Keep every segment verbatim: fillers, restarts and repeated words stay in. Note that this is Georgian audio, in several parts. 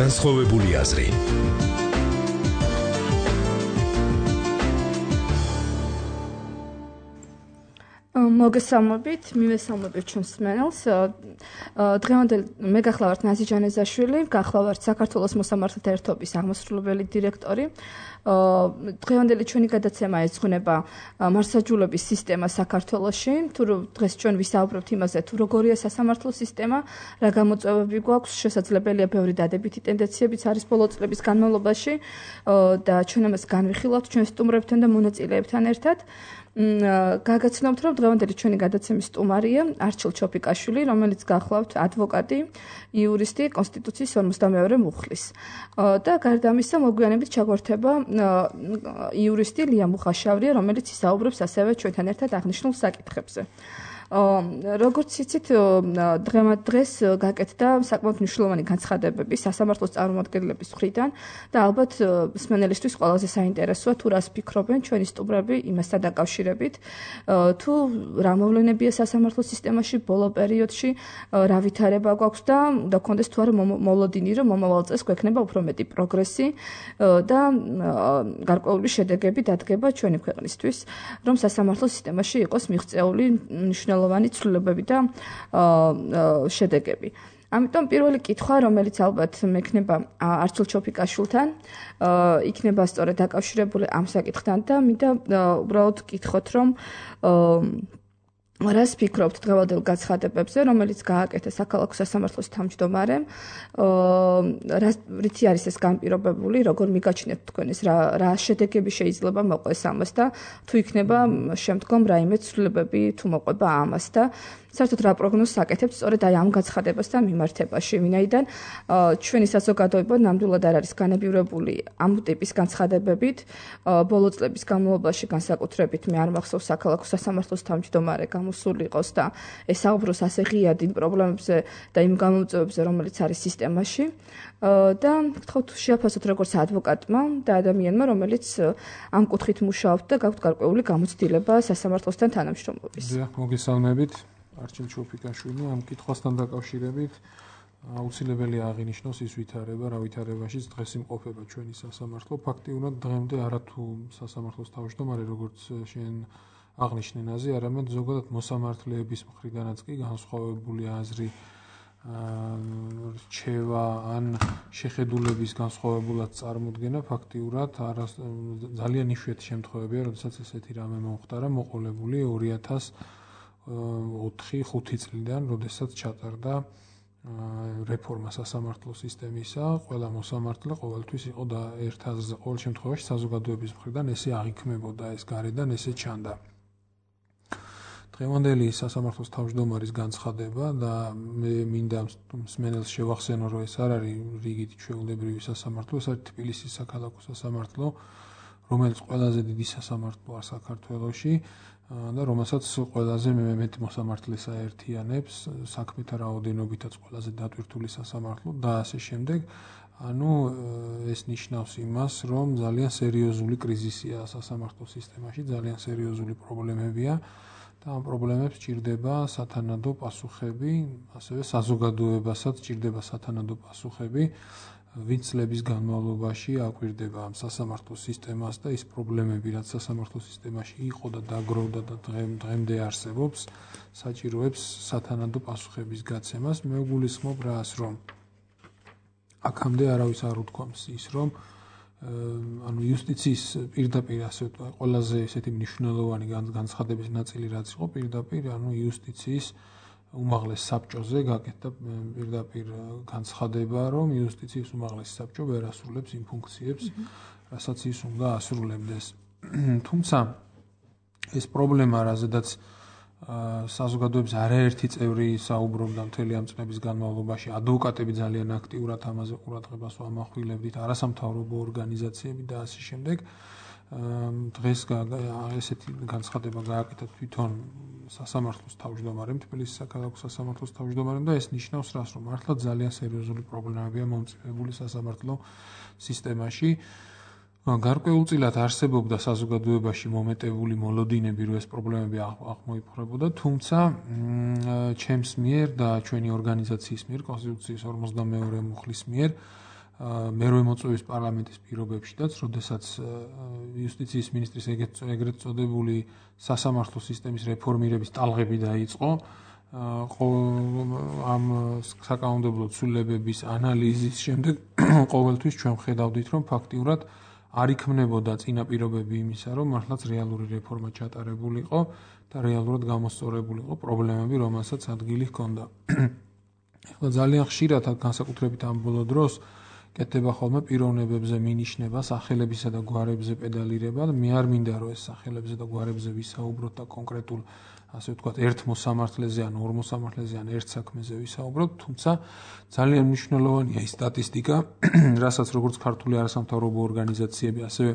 განსხვავებული აზრი. მოგესალმებით, მივესალმებით ჩვენს მსმენელს. დღევანდელი მე გახლავართ ნაზი ჯანეზაშვილი, გახლავართ საქართველოს მოსამართლეთა ერთობის აღმასრულებელი დირექტორი. დღევანდელი ჩვენი გადაცემა ეძღვნება მართლმსაჯულების სისტემა საქართველოში. თუ დღეს ჩვენ ვისაუბრებთ იმაზე, თუ როგორია სასამართლო სისტემა, რა გამოწვევები გვაქვს, შესაძლებელია ბევრი დადებითი ტენდენციებიც არის ბოლო წლების განმავლობაში და ჩვენ ამას განვიხილავთ ჩვენ სტუმრებთან და მონაწილეებთან ერთად. გაგაცნობთ, რომ დღევანდელი ჩვენი გადაცემის სტუმარია არჩილ ჩოფიკაშვილი, რომელიც გახლავთ ადვოკატი, იურისტი, კონსტიტუციის ორმოცდამეორე მუხლის. და გარდა ამისა, მოგვიანებით ჩაგვერთება იურისტი ლია მუხაშავრია, რომელიც ისაუბრებს ასევე ჩვენთან ერთად აღნიშნულ საკითხებზე. როგორც იცით, დღეს გაკეთდა საკმაოდ მნიშვნელოვანი განცხადებები სასამართლოს წარმომადგენლების მხრიდან და ალბათ მსმენელისთვის ყველაზე საინტერესოა თუ რას ფიქრობენ ჩვენი სტუმრები იმასთან დაკავშირებით, თუ რა მოვლენებია სასამართლო სისტემაში ბოლო პერიოდში, რა ვითარება გვაქვს და უნდა გქონდეს თუ არა მოლოდინი, რომ მომავალ წელს გვექნება უფრო მეტი პროგრესი და გარკვეული შედეგები დადგება ჩვენი ქვეყნისთვის, რომ სასამართლო სისტემაში იყოს მიღწეული მნიშვნელოვანი ცვლილებები და შედეგები. ამიტომ პირველი კითხვა, რომელიც ალბათ მექნება არჩილ ჩოფიკაშვილთან, იქნება სწორედ დაკავშირებული ამ საკითხთან და მინდა უბრალოდ გითხოთ, რომ რას ფიქრობთ დღევანდელ განცხადებებზე, რომელიც გააკეთა საქალაქო სასამართლოს თავმჯდომარემ, რითი არის ეს განპირობებული, როგორ მიგაჩნიათ თქვენ ეს რა შედეგები შეიძლება მოყვეს ამას და თუ იქნება შემდგომ რაიმე ცვლილებები თუ მოყვება ამას და საერთოდ რა პროგნოზს აკეთებთ სწორედ აი ამ განცხადებასთან მიმართებაში, ვინაიდან ჩვენი საზოგადოება ნამდვილად არ არის განებივრებული ამ ტიპის განცხადებებით. ბოლო წლების განმავლობაში განსაკუთრებით მე არ მახსოვს საქალაქო სასამართლოს თავმჯდომარე გამოსული იყოს და ესაუბროს ასე ღიად იმ პრობლემებზე და იმ გამოწვევებზე, რომელიც არის სისტემაში. და გთხოვთ შეაფასოთ როგორც ადვოკატმა და ადამიანმა, რომელიც ამ კუთხით მუშაობთ და გაქვთ გარკვეული გამოცდილება სასამართლოსთან თანამშრომლობის. დიახ, მოგესალმებით. არჩილ ჩოფიკაშვილი, ამ კითხვასთან დაკავშირებით აუცილებელია აღინიშნოს ის ვითარება, რა ვითარებაშიც დღეს იმყოფება ჩვენი სასამართლო. ფაქტიურად დღემდე არათუ სასამართლოს თავმჯდომარე, როგორც შენ აღნიშნე ნაზი, არამედ ზოგადად მოსამართლეების მხრიდანაც კი განსხვავებული აზრი, რჩევა ან შეხედულების განსხვავებულად წარმოდგენა ფაქტიურად ძალიან იშვიათი შემთხვევებია, როდესაც ესეთი რამე მომხდარა, მოყოლებული ორი ათას ოთხი ხუთი წლიდან, როდესაც ჩატარდა რეფორმა სასამართლო სისტემისა, ყველა მოსამართლე ყოველთვის იყო და ერთ აზრზე, ყოველ შემთხვევაში საზოგადოების მხრიდან ესე აღიქმებოდა, ეს გარედან ესე ჩანდა. დღევანდელი სასამართლოს თავმჯდომარის განცხადება და მე მინდა მსმენელს შევახსენო, რომ ეს არ არის რიგით ჩვეულებრივი სასამართლო, ეს არის თბილისის საქალაქო სასამართლო, რომელიც ყველაზე დიდი სასამართლოა საქართველოში და რომელსაც ყველაზე მეტ მოსამართლეს აერთიანებს, საქმეთა რაოდენობითაც ყველაზე დატვირთული სასამართლო და ასე შემდეგ. ანუ ეს ნიშნავს იმას, რომ ძალიან სერიოზული კრიზისია სასამართლო სისტემაში, ძალიან სერიოზული პრობლემებია და ამ პრობლემებს ჭირდება სათანადო პასუხები, ასევე საზოგადოებასაც ჭირდება სათანადო პასუხები, ვინც წლების განმავლობაში აკვირდება ამ სასამართლო სისტემას და ის პრობლემები, რაც სასამართლო სისტემაში იყო და დაგროვდა და დღემდე არსებობს, საჭიროებს სათანადო პასუხების გაცემას. მე ვგულისხმობ რას, რომ აქამდე არავის არ უთქვამს ის, რომ ანუ იუსტიციის პირდაპირ ასე ვთქვათ, ყველაზე ესეთი მნიშვნელოვანი განცხადების ნაწილი რაც იყო პირდაპირ, ანუ იუსტიციის უმაღლეს საბჭოზე გაკეთდა პირდაპირ განცხადება, რომ იუსტიციის უმაღლესი საბჭო ვერ ასრულებს იმ ფუნქციებს, რასაც ის უნდა ასრულებდეს. თუმცა ეს პრობლემა, რაზედაც საზოგადოების არაერთი წევრი საუბრობდა მთელი ამ წლების განმავლობაში, ადვოკატები ძალიან აქტიურად ამაზე ყურადღებას ვამახვილებდით, არასამთავრობო ორგანიზაციები და ასე შემდეგ. დღეს ესეთი განცხადება გააკეთა თვითონ სასამართლოს თავმჯდომარემ, თბილისის საქალაქო სასამართლოს თავმჯდომარემ და ეს ნიშნავს რას, რომ მართლა ძალიან სერიოზული პრობლემებია მომწიფებული სასამართლო სისტემაში. გარკვეულწილად არსებობდა საზოგადოებაში მომეტებული მოლოდინები, რომ ეს პრობლემები აღმოიფხვრებოდა, თუმცა ჩემს მიერ და ჩვენი ორგანიზაციის მიერ, კონსტიტუციის ორმოცდამეორე მუხლის მიერ მერვე მოწვევის პარლამენტის პირობებშიც, როდესაც იუსტიციის მინისტრის ეგრეთ წოდებული სასამართლო სისტემის რეფორმირების ტალღები დაიწყო, ამ საკანონმდებლო ცვლილებების ანალიზის შემდეგ ყოველთვის ჩვენ ხედავდით, რომ ფაქტიურად არ იქმნებოდა წინაპირობები იმისა, რომ მართლაც რეალური რეფორმა ჩატარებულიყო და რეალურად გამოსწორებული იყო პრობლემები, რომელსაც ადგილი ჰქონდა. ეხლა ძალიან ხშირად განსაკუთრებით ამ ბოლო დროს კეთდება ხოლმე პიროვნებებზე მინიშნება, სახელებისა და გვარებზე პედალირება და მე არ მინდა რომ ეს სახელებზე და გვარებზე ვისაუბროთ და კონკრეტულ ასე ვთქვათ, ერთ მოსამართლეზე ან ორ მოსამართლეზე ან ერთ საქმეზე ვისაუბროთ, თუმცა ძალიან მნიშვნელოვანია ის სტატისტიკა, რასაც როგორც ქართული არასამთავრობო ორგანიზაციები, ასევე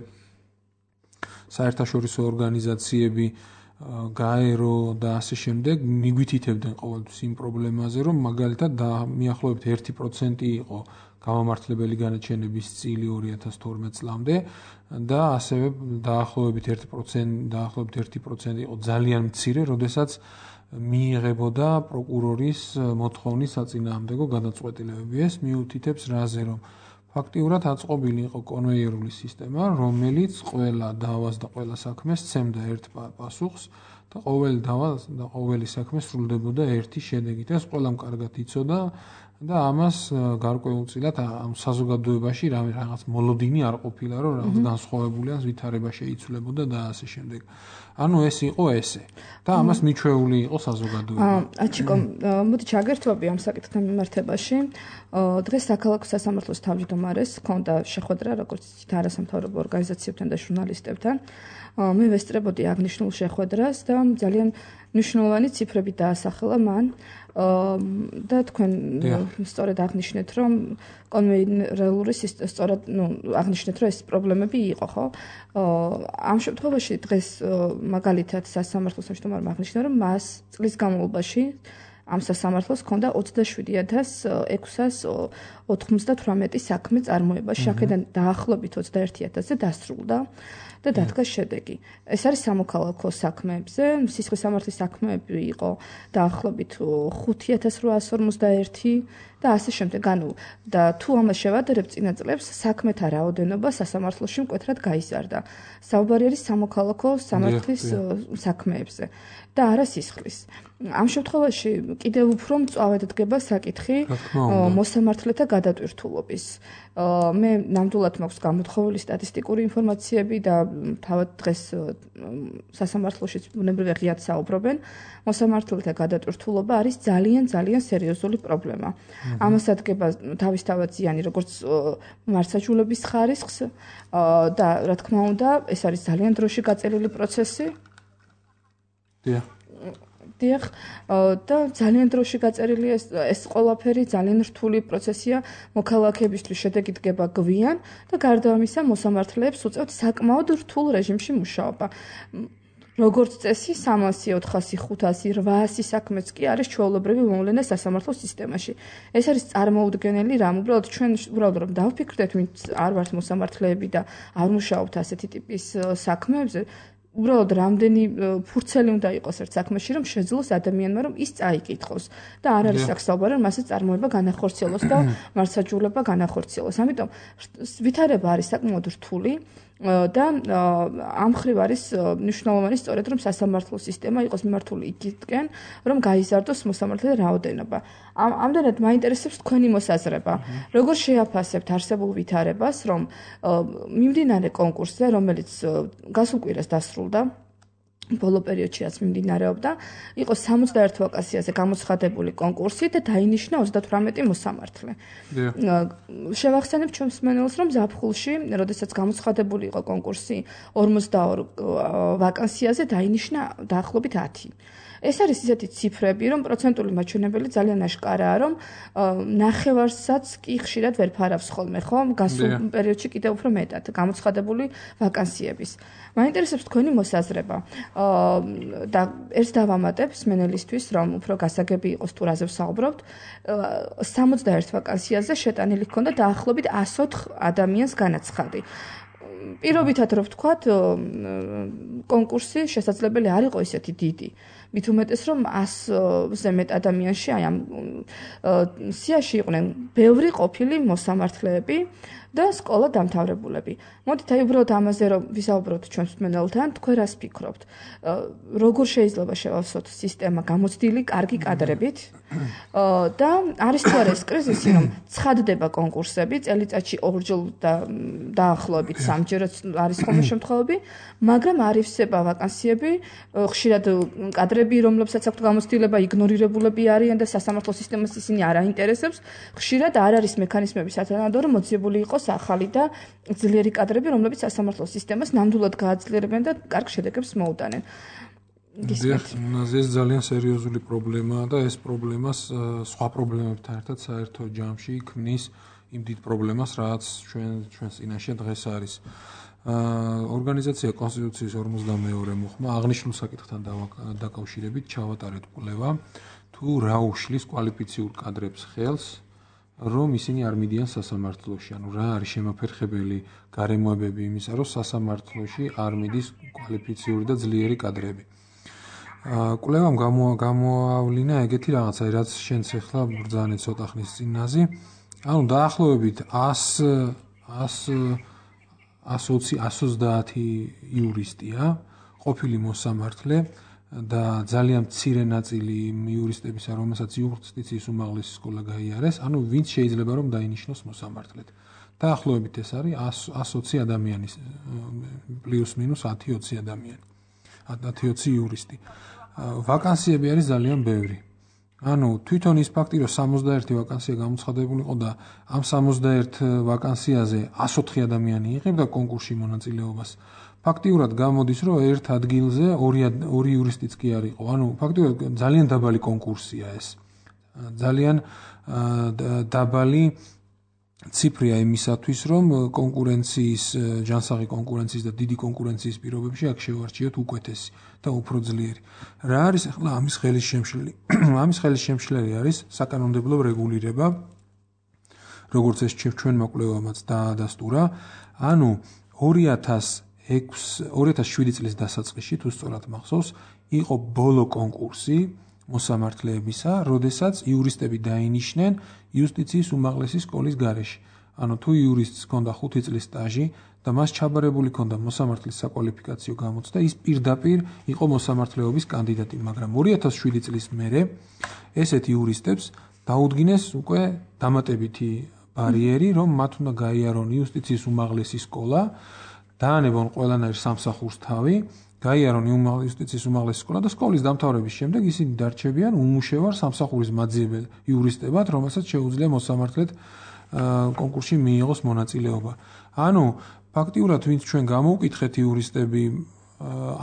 საერთაშორისო ორგანიზაციები, გაერო და ასე შემდეგ მიგვითითებდნენ ყოველთვის იმ პრობლემაზე, რომ მაგალითად მიახლოებით ერთი პროცენტი იყო გამომართლებელი განაჩენების წილი ორი ათას თორმეტ წლამდე და ასევე დაახლოებით ერთი პროცენტი დაახლოებით ერთი პროცენტი იყო ძალიან მცირე, როდესაც მიიღებოდა პროკურორის მოთხოვნის საწინააღმდეგო გადაწყვეტილებები. ეს მიუთითებს რაზე, რომ ფაქტიურად აწყობილი იყო კონვეიერული სისტემა, რომელიც ყველა დავას და ყველა საქმეს სცემდა ერთ პასუხს და ყოველი დავა და ყოველი საქმე სრულდებოდა ერთი შედეგით. ეს ყველამ კარგად იცოდა და ამას გარკვეულწილად ამ საზოგადოებაში რაღაც მოლოდინი არ ყოფილა, რომ რაღაც განსხვავებული ან ვითარება შეიცვლებოდა და ასე შემდეგ. ანუ ეს იყო ესე და ამას მიჩვეული იყო საზოგადოება. აჩიკო, მოდი ჩაგერთვები ამ საკითხთან მიმართებაში. დღეს საქალაქო სასამართლოს თავმჯდომარეს ჰქონდა შეხვედრა, როგორც იცით, არასამთავრობო ორგანიზაციებთან და ჟურნალისტებთან. მე ვესწრებოდი აღნიშნულ შეხვედრას და ძალიან მნიშვნელოვანი ციფრები დაასახელა მან. და თქვენ სწორედ აღნიშნეთ, რომ კონვეიერული სისტემა სწორად, ну, აღნიშნეთ, რომ ეს პრობლემები იყო, ხო? ამ შემთხვევაში დღეს მაგალითად სასამართლოს თავმჯდომარემ აღნიშნა, რომ მას წლის განმავლობაში ამ სასამართლოს ჰქონდა ოცდაშვიდი ათას ექვსას ოთხმოცდათვრამეტი საქმე წარმოებაში, აქედან დაახლოებით ოცდაერთი ათასზე დასრულდა და დადგა შედეგი. ეს არის სამოქალაქო საქმეებზე, სისხლის სამართლის საქმეები იყო დაახლოებით ხუთი ათას რვაას ორმოცდაერთი და ასე შემდეგ. ანუ და თუ ამას შევადარებ წინა წლებს, საქმეთა რაოდენობა სასამართლოში მკვეთრად გაიზარდა. საუბარი არის სამოქალაქო სამართლის საქმეებზე და არა სისხლის. ამ შემთხვევაში კიდევ უფრო მწვავედ დგება საკითხი მოსამართლეთა გადატვირთულობის. მე ნამდვილად მაქვს გამოთხოვილი სტატისტიკური ინფორმაციები და თავად დღეს სასამართლოშიც ბუნებრივია ღიად საუბრობენ. მოსამართლეთა გადატვირთულობა არის ძალიან ძალიან სერიოზული პრობლემა. ამას ადგება თავისთავად ზიანი როგორც მართლმსაჯულების ხარისხს და რა თქმა უნდა, ეს არის ძალიან დროში გაწელილი პროცესი. დიახ. დიახ, და ძალიან დროში გაწერილი ეს ეს ყველაფერი ძალიან რთული პროცესია მოქალაქეებისთვის შედეგი დგება გვიან და გარდა ამისა მოსამართლეებს უწევთ საკმაოდ რთულ რეჟიმში მუშაობა. როგორც წესი სამასი, ოთხასი, ხუთასი, რვაასი საქმეც კი არის ჩვეულებრივი მოვლენა სასამართლო სისტემაში. ეს არის წარმოუდგენელი რამ, უბრალოდ ჩვენ უბრალოდ რომ დავფიქრდეთ, ვინც არ ვართ მოსამართლეები და არ მუშაობთ ასეთი ტიპის საქმეებზე, უბრალოდ რამდენი ფურცელი უნდა იყოს ერთ საქმეში, რომ შეძლოს ადამიანმა რომ ის წაიკითხოს და არ არის საქმე, რომ მასე წარმოება განახორციელოს და მართლმსაჯულება განახორციელოს. ამიტომ ვითარება არის საკმაოდ რთული და ამ მხრივ არის მნიშვნელოვანი სწორედ რომ სასამართლო სისტემა იყოს მიმართული იქითკენ, რომ გაიზარდოს მოსამართლეთა რაოდენობა. ამდენად მაინტერესებს თქვენი მოსაზრება. როგორ შეაფასებთ არსებულ ვითარებას, რომ მიმდინარე კონკურსზე, რომელიც გასულ კვირას დასრულდა, ბოლო პერიოდშიც მიმდინარეობდა, იყო სამოცდაერთ ვაკანსიაზე გამოცხადებული კონკურსი და დაინიშნა ოცდათვრამეტი მოსამართლე. შევახსენებ ჩვენს მსმენელს, რომ ზაფხულში, როდესაც გამოცხადებული იყო კონკურსი ორმოცდაორ ვაკანსიაზე, დაინიშნა დაახლოებით ათი. ეს არის ისეთი ციფრები, რომ პროცენტული მაჩვენებელი ძალიან აშკარაა, რომ ნახევარსაც კი ხშირად ვერ ფარავს ხოლმე, ხო? გასულ პერიოდში კიდევ უფრო მეტად გამოცხადებული ვაკანსიების. მაინტერესებს თქვენი მოსაზრება. და ერთ დავამატებ მსმენელისთვის, რომ უფრო გასაგები იყოს თუ რაზე ვსაუბრობთ. სამოცდაერთ ვაკანსიაზე შეტანილი ჰქონდა დაახლოებით ასი ოთხ ადამიანს განაცხადი. პირობითად რომ ვთქვათ, კონკურსი შესაძლებელი არ იყო ისეთი დიდი. მით უმეტეს რომ ასზე მეტ ადამიანში აი ამ სიაში იყვნენ ბევრი ყოფილი მოსამართლეები და სკოლა დამთავრებულები. მოდით აი უბრალოდ ამაზე რომ ვისაუბროთ ჩვენს მსმენელთან, თქვენ რას ფიქრობთ? როგორ შეიძლება შევავსოთ სისტემა გამოცდილი კარგი კადრებით? და არის თუ არა ეს კრიზისი, რომ ცხადდება კონკურსები, წელიწადში ორჯერ და დაახლოებით სამჯერაც არის ხოლმე შემთხვევები, მაგრამ არ ივსება ვაკანსიები, ხშირად კადრები, რომლებსაც აქვთ გამოცდილება, იგნორირებულები არიან და სასამართლო სისტემას ისინი არ აინტერესებს. ხშირად არ არის მექანიზმები სათანადო, რომ მოძიებული იყოს ახალი და ძლიერი კადრები, რომლებიც სასამართლო სისტემას ნამდვილად გააძლიერებენ და კარგ შედეგებს მოუტანენ. ეს ძალიან სერიოზული პრობლემაა და ეს პრობლემას სხვა პრობლემებთან ერთად საერთო ჯამში ქმნის იმ დიდ პრობლემას, რაც ჩვენ ჩვენს წინაშე დღეს არის. ორგანიზაცია კონსტიტუციის ორმოცდამეორე მოხმა აღნიშნულ საკითხთან დაკავშირებით ჩავატარეთ კვლევა, თუ რა უშლის კვალიფიციურ კადრებს ხელს, რომ ისინი არ მიდიან სასამართლოში, ანუ რა არის შემაფერხებელი გარემოებები იმისა, რომ სასამართლოში არ მიდის კვალიფიციური და ძლიერი კადრები. კვლევამ გამოავლინა ეგეთი რაღაცა, რაც შენც ახლა ბრძანე ცოტა ხნის წინ ნაზი. ანუ დაახლოებით ას ოცდაათი იურისტია, ყოფილი მოსამართლე და ძალიან მცირე ნაწილი იურისტებისა, რომელსაც იუსტიციის უმაღლესი სკოლა გაიარეს, ანუ ვინც შეიძლება რომ დაინიშნოს მოსამართლედ. დაახლოებით ეს არის ას ოცი ადამიანის პლუს მინუს ათი ოცი ადამიანი. ათი ოცი იურისტი. ვაკანსიები არის ძალიან ბევრი. ანუ თვითონ ის ფაქტი, რომ სამოცდაერთი ვაკანსია გამოცხადებული იყო და ამ სამოცდაერთ ვაკანსიაზე ას ოთხი ადამიანი იღებდა კონკურსში მონაწილეობას. ფაქტიურად გამოდის, რომ ერთ ადგილზე ორი იურისტიც კი არ იყო. ანუ ფაქტიურად ძალიან დაბალი კონკურსია ეს. ძალიან დაბალი ციფრია იმისათვის, რომ კონკურენციის, ჯანსაღი კონკურენციის და დიდი კონკურენციის პირობებში აქ შევარჩიოთ უკვეთესი და უფრო ძლიერი. რა არის ახლა ამის ხელის შემშლელი? ამის ხელის შემშლელი არის საკანონმდებლო რეგულირება, როგორც ეს ჩვენმა კვლევამაც დაადასტურა. ანუ ორი ათას შვიდი წლის დასაწყისში, თუ სწორად მახსოვს, იყო ბოლო კონკურსი მოსამართლეებისა, როდესაც იურისტები დაინიშნენ იუსტიციის უმაღლესი სკოლის გარეშე. ანუ თუ იურისტს ჰქონდა ხუთი წლის სტაჟი და მას ჩაბარებული ჰქონდა მოსამართლის საკვალიფიკაციო გამოცდა, ის პირდაპირ იყო მოსამართლეობის კანდიდატი, მაგრამ ორი ათას შვიდი წლის მერე ესეთ იურისტებს დაუდგინეს უკვე დამატებითი ბარიერი, რომ მათ უნდა გაიარონ იუსტიციის უმაღლესი სკოლა, დაანებონ ყველანაირ სამსახურს თავი, გაიარონ იუსტიციის უმაღლესი სკოლა და სკოლის დამთავრების შემდეგ ისინი დარჩებიან უმუშევარ სამსახურის მაძიებელ იურისტებად, რომელსაც შეუძლია მოსამართლედ კონკურსში მიიღოს მონაწილეობა. ანუ ფაქტიურად ვინც ჩვენ გამოვკითხეთ იურისტები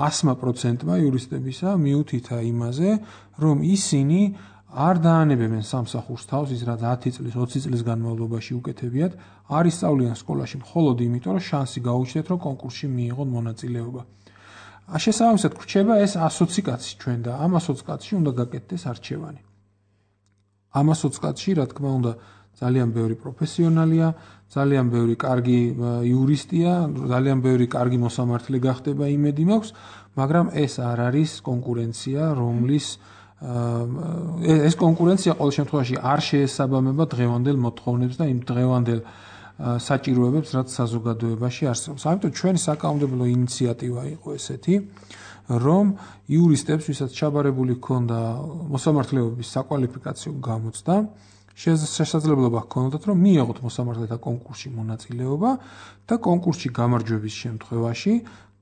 ასმა პროცენტმა იურისტებისა მიუთითა იმაზე, რომ ისინი არ დაანებებენ სამსახურს თავს, ის რაც ათი წლის, ოცი წლის განმავლობაში უკეთებიათ, არ ისწავლიან სკოლაში მხოლოდ იმიტომ, რომ შანსი გაუჩნდეთ, რომ კონკურსში მიიღონ მონაწილეობა. შესაბამისად გვრჩება ეს ას ოცი კაცი ჩვენ და ამ ას ოცი კაცში უნდა გაკეთდეს არჩევანი. ამ ას ოცი კაცში, რა თქმა უნდა, ძალიან ბევრი პროფესიონალია, ძალიან ბევრი კარგი იურისტია, ძალიან ბევრი კარგი მოსამართლე გახდება იმედი მაქვს, მაგრამ ეს არ არის კონკურენცია, რომლის ეს კონკურენცია ყოველ შემთხვევაში არ შეესაბამება დღევანდელ მოთხოვნებს და იმ დღევანდელ საჭიროებებს, რაც საზოგადოებაში არსებობს. ამიტომ ჩვენი საკანონმდებლო ინიციატივა იყო ესეთი, რომ იურისტებს, ვისაც ჩაბარებული ჰქონდა მოსამართლეობის საკვალიფიკაციო გამოცდა, შესაძლებლობა ჰქონდათ, რომ მიიღოთ მოსამართლეთა კონკურსში მონაწილეობა და კონკურსში გამარჯვების შემთხვევაში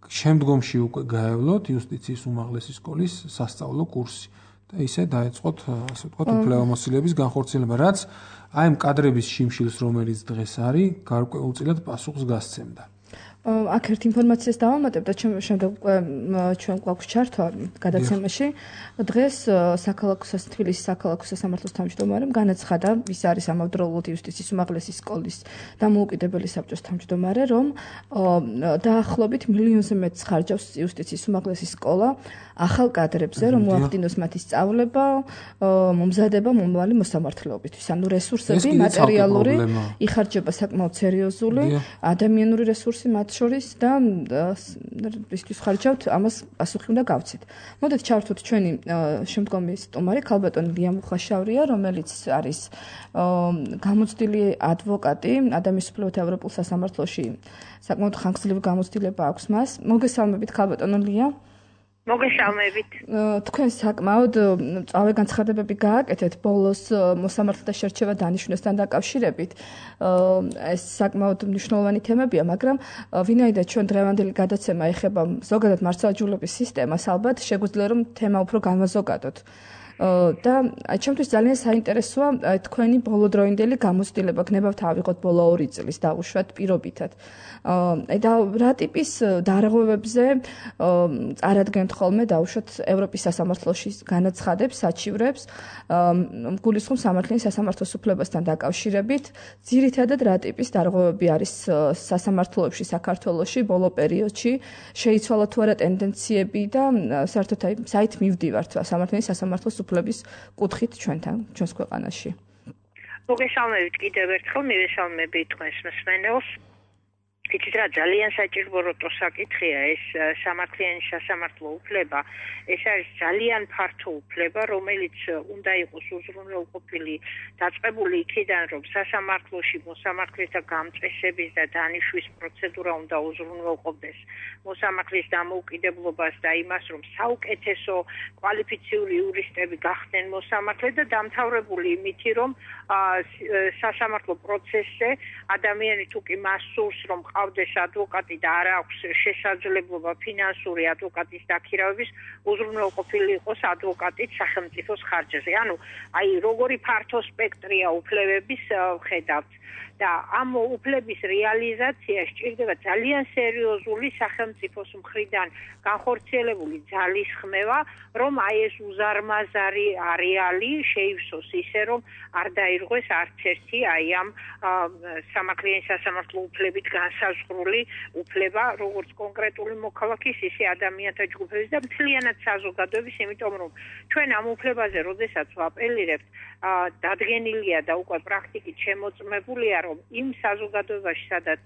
შემდგომში უკვე გაევლოთ იუსტიციის უმაღლესი სკოლის სასწავლო კურსი. და ისე დაეწყოთ, ასე ვთქვათ, უფლებამოსილების განხორციელება, რაც აი ამ კადრების შიმშილს, რომელიც დღეს არის, გარკვეულწილად პასუხს გასცემდა. აქ ერთ ინფორმაციას დავამატებ და შემდეგ ჩვენ გვაქვს ჩართვა გადაცემაში. დღეს საქალაქო თბილისის საქალაქო სასამართლოს თავმჯდომარემ განაცხადა, ის არის ამავდროულად იუსტიციის უმაღლესი სკოლის დამოუკიდებელი საბჭოს თავმჯდომარე, რომ დაახლოებით მილიონზე მეტს ხარჯავს იუსტიციის უმაღლესი სკოლა ახალ კადრებზე, რომ მოახდინოს მათი სწავლება, მომზადება მომავალი მოსამართლეობისთვის. ანუ რესურსები, მატერიალური იხარჯება საკმაოდ სერიოზული, ადამიანური რესურსი მათ მათ შორის და ისთვის ხარჯავთ ამას პასუხი უნდა გავცეთ. მოდით ჩავთვით ჩვენი შემდგომი სტუმარი ქალბატონი ლია მუხაშავრია, რომელიც არის გამოცდილი ადვოკატი ადამიანის უფლებათა ევროპულ სასამართლოში. საკმაოდ ხანგრძლივი გამოცდილება აქვს მას. მოგესალმებით ქალბატონო ლია. მოგესალმებით. თქვენ საკმაოდ წავე განცხადებები გააკეთეთ ბოლოს მოსამართლეთა შერჩევა დანიშვნასთან დაკავშირებით. ეს საკმაოდ მნიშვნელოვანი თემებია, მაგრამ ვინაიდან ჩვენ დღევანდელი გადაცემა ეხება ზოგადად მართლმსაჯულების სისტემას, ალბათ შეგვიძლია რომ თემა უფრო განვაზოგადოთ. და ჩემთვის ძალიან საინტერესოა თქვენი ბოლოდროინდელი გამოცდილება, გნებავთ ავიღოთ ბოლო ორი წლის დაუშვათ პირობითად. და რა ტიპის დარღვევებზე წარადგენთ ხოლმე დაუშვათ ევროპის სასამართლოში განაცხადებს, საჩივრებს, გულისხმობს სამართლიანი სასამართლოს უფლებასთან დაკავშირებით, ძირითადად რა ტიპის დარღვევები არის სასამართლოებში საქართველოში ბოლო პერიოდში, შეიცვალა თუ არა ტენდენციები და საერთოდ აი საით მივდივართ სამართლიანი სასამართლოს უფლების კუთხით ჩვენთან, ჩვენს ქვეყანაში. მოგესალმებით კიდევ ერთხელ, მივესალმები თქვენს მსმენელს. იცით რა, ძალიან საჭიროა საკითხია ეს სამართლიანი სასამართლო უფლება. ეს არის ძალიან ფართო უფლება, რომელიც უნდა იყოს უზრუნველყოფილი, დაწყებული იქიდან, რომ სასამართლოში მოსამართლეთა გამწესების და დანიშვნის პროცედურა უნდა უზრუნველყოფდეს მოსამართლის დამოუკიდებლობას და იმას, რომ საუკეთესო კვალიფიციური იურისტები გახდნენ მოსამართლე და დამთავრებული იმითი, რომ სასამართლო პროცესზე ადამიანი თუ კი მას სურს, რომ ყავდეს ადვოკატი და არ აქვს შესაძლებლობა ფინანსური ადვოკატის დაქირავების, უზრუნველყოფილი იყოს ადვოკატით სახელმწიფოს ხარჯზე. ანუ აი როგორი ფართო სპექტრია უფლებების ხედავთ. და ამ უფლების რეალიზაცია სჭირდება ძალიან სერიოზული სახელმწიფოს მხრიდან განხორციელებული ძალისხმევა, რომ აი ეს უზარმაზარი არეალი შეივსოს ისე, რომ არ დაირღვეს არც ერთი აი ამ სამართლიანი სასამართლო უფლებით განსაზღვრული უფლება, როგორც კონკრეტული მოქალაქის, ისე ადამიანთა ჯგუფების და მთლიანად საზოგადოების, იმიტომ რომ ჩვენ ამ უფლებაზე, როდესაც ვაპელირებთ, დადგენილია და უკვე პრაქტიკით შემოწმებულია, რომ იმ საზოგადოებაში, სადაც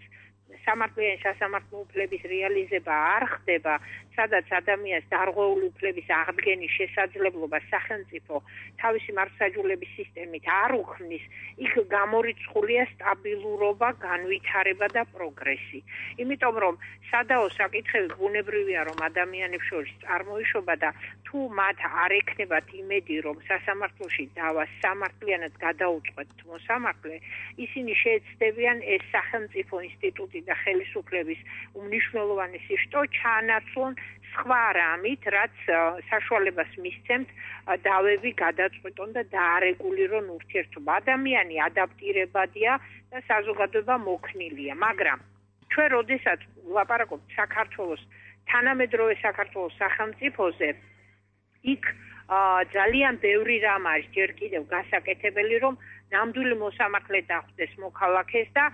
სამართლიანი სასამართლო უფლების რეალიზება არ ხდება, სადაც ადამიანს დარღვეული უფლების აღდგენის შესაძლებლობა სახელმწიფო თავისი მართლმსაჯულების სისტემით არ უქმნის, იქ გამორიცხულია სტაბილურობა, განვითარება და პროგრესი. იმიტომ რომ სადაო საკითხები ბუნებრივია, რომ ადამიანებს შორის წარმოიშობა და თუ მათ არ ექნებათ იმედი, რომ სასამართლოში დავა სამართლიანად გადაუწყვეტთ მოსამართლე, ისინი შეეცდებიან ეს სახელმწიფო ინსტიტუტი და ხელისუფლების უმნიშვნელოვანესი შტო ჩაანაცვლონ სხვა რამით, რაც საშუალებას მისცემთ დავები გადაწყვეტონ და დაარეგულირონ ურთიერთობა. ადამიანი ადაპტირებადია და საზოგადოება მოქნილია, მაგრამ ჩვენ როდესაც ვლაპარაკობთ საქართველოს თანამედროვე საქართველოს სახელმწიფოზე, იქ ძალიან ბევრი რამ არის ჯერ კიდევ გასაკეთებელი, რომ ნამდვილი მოსამართლე დახვდეს მოქალაქეს და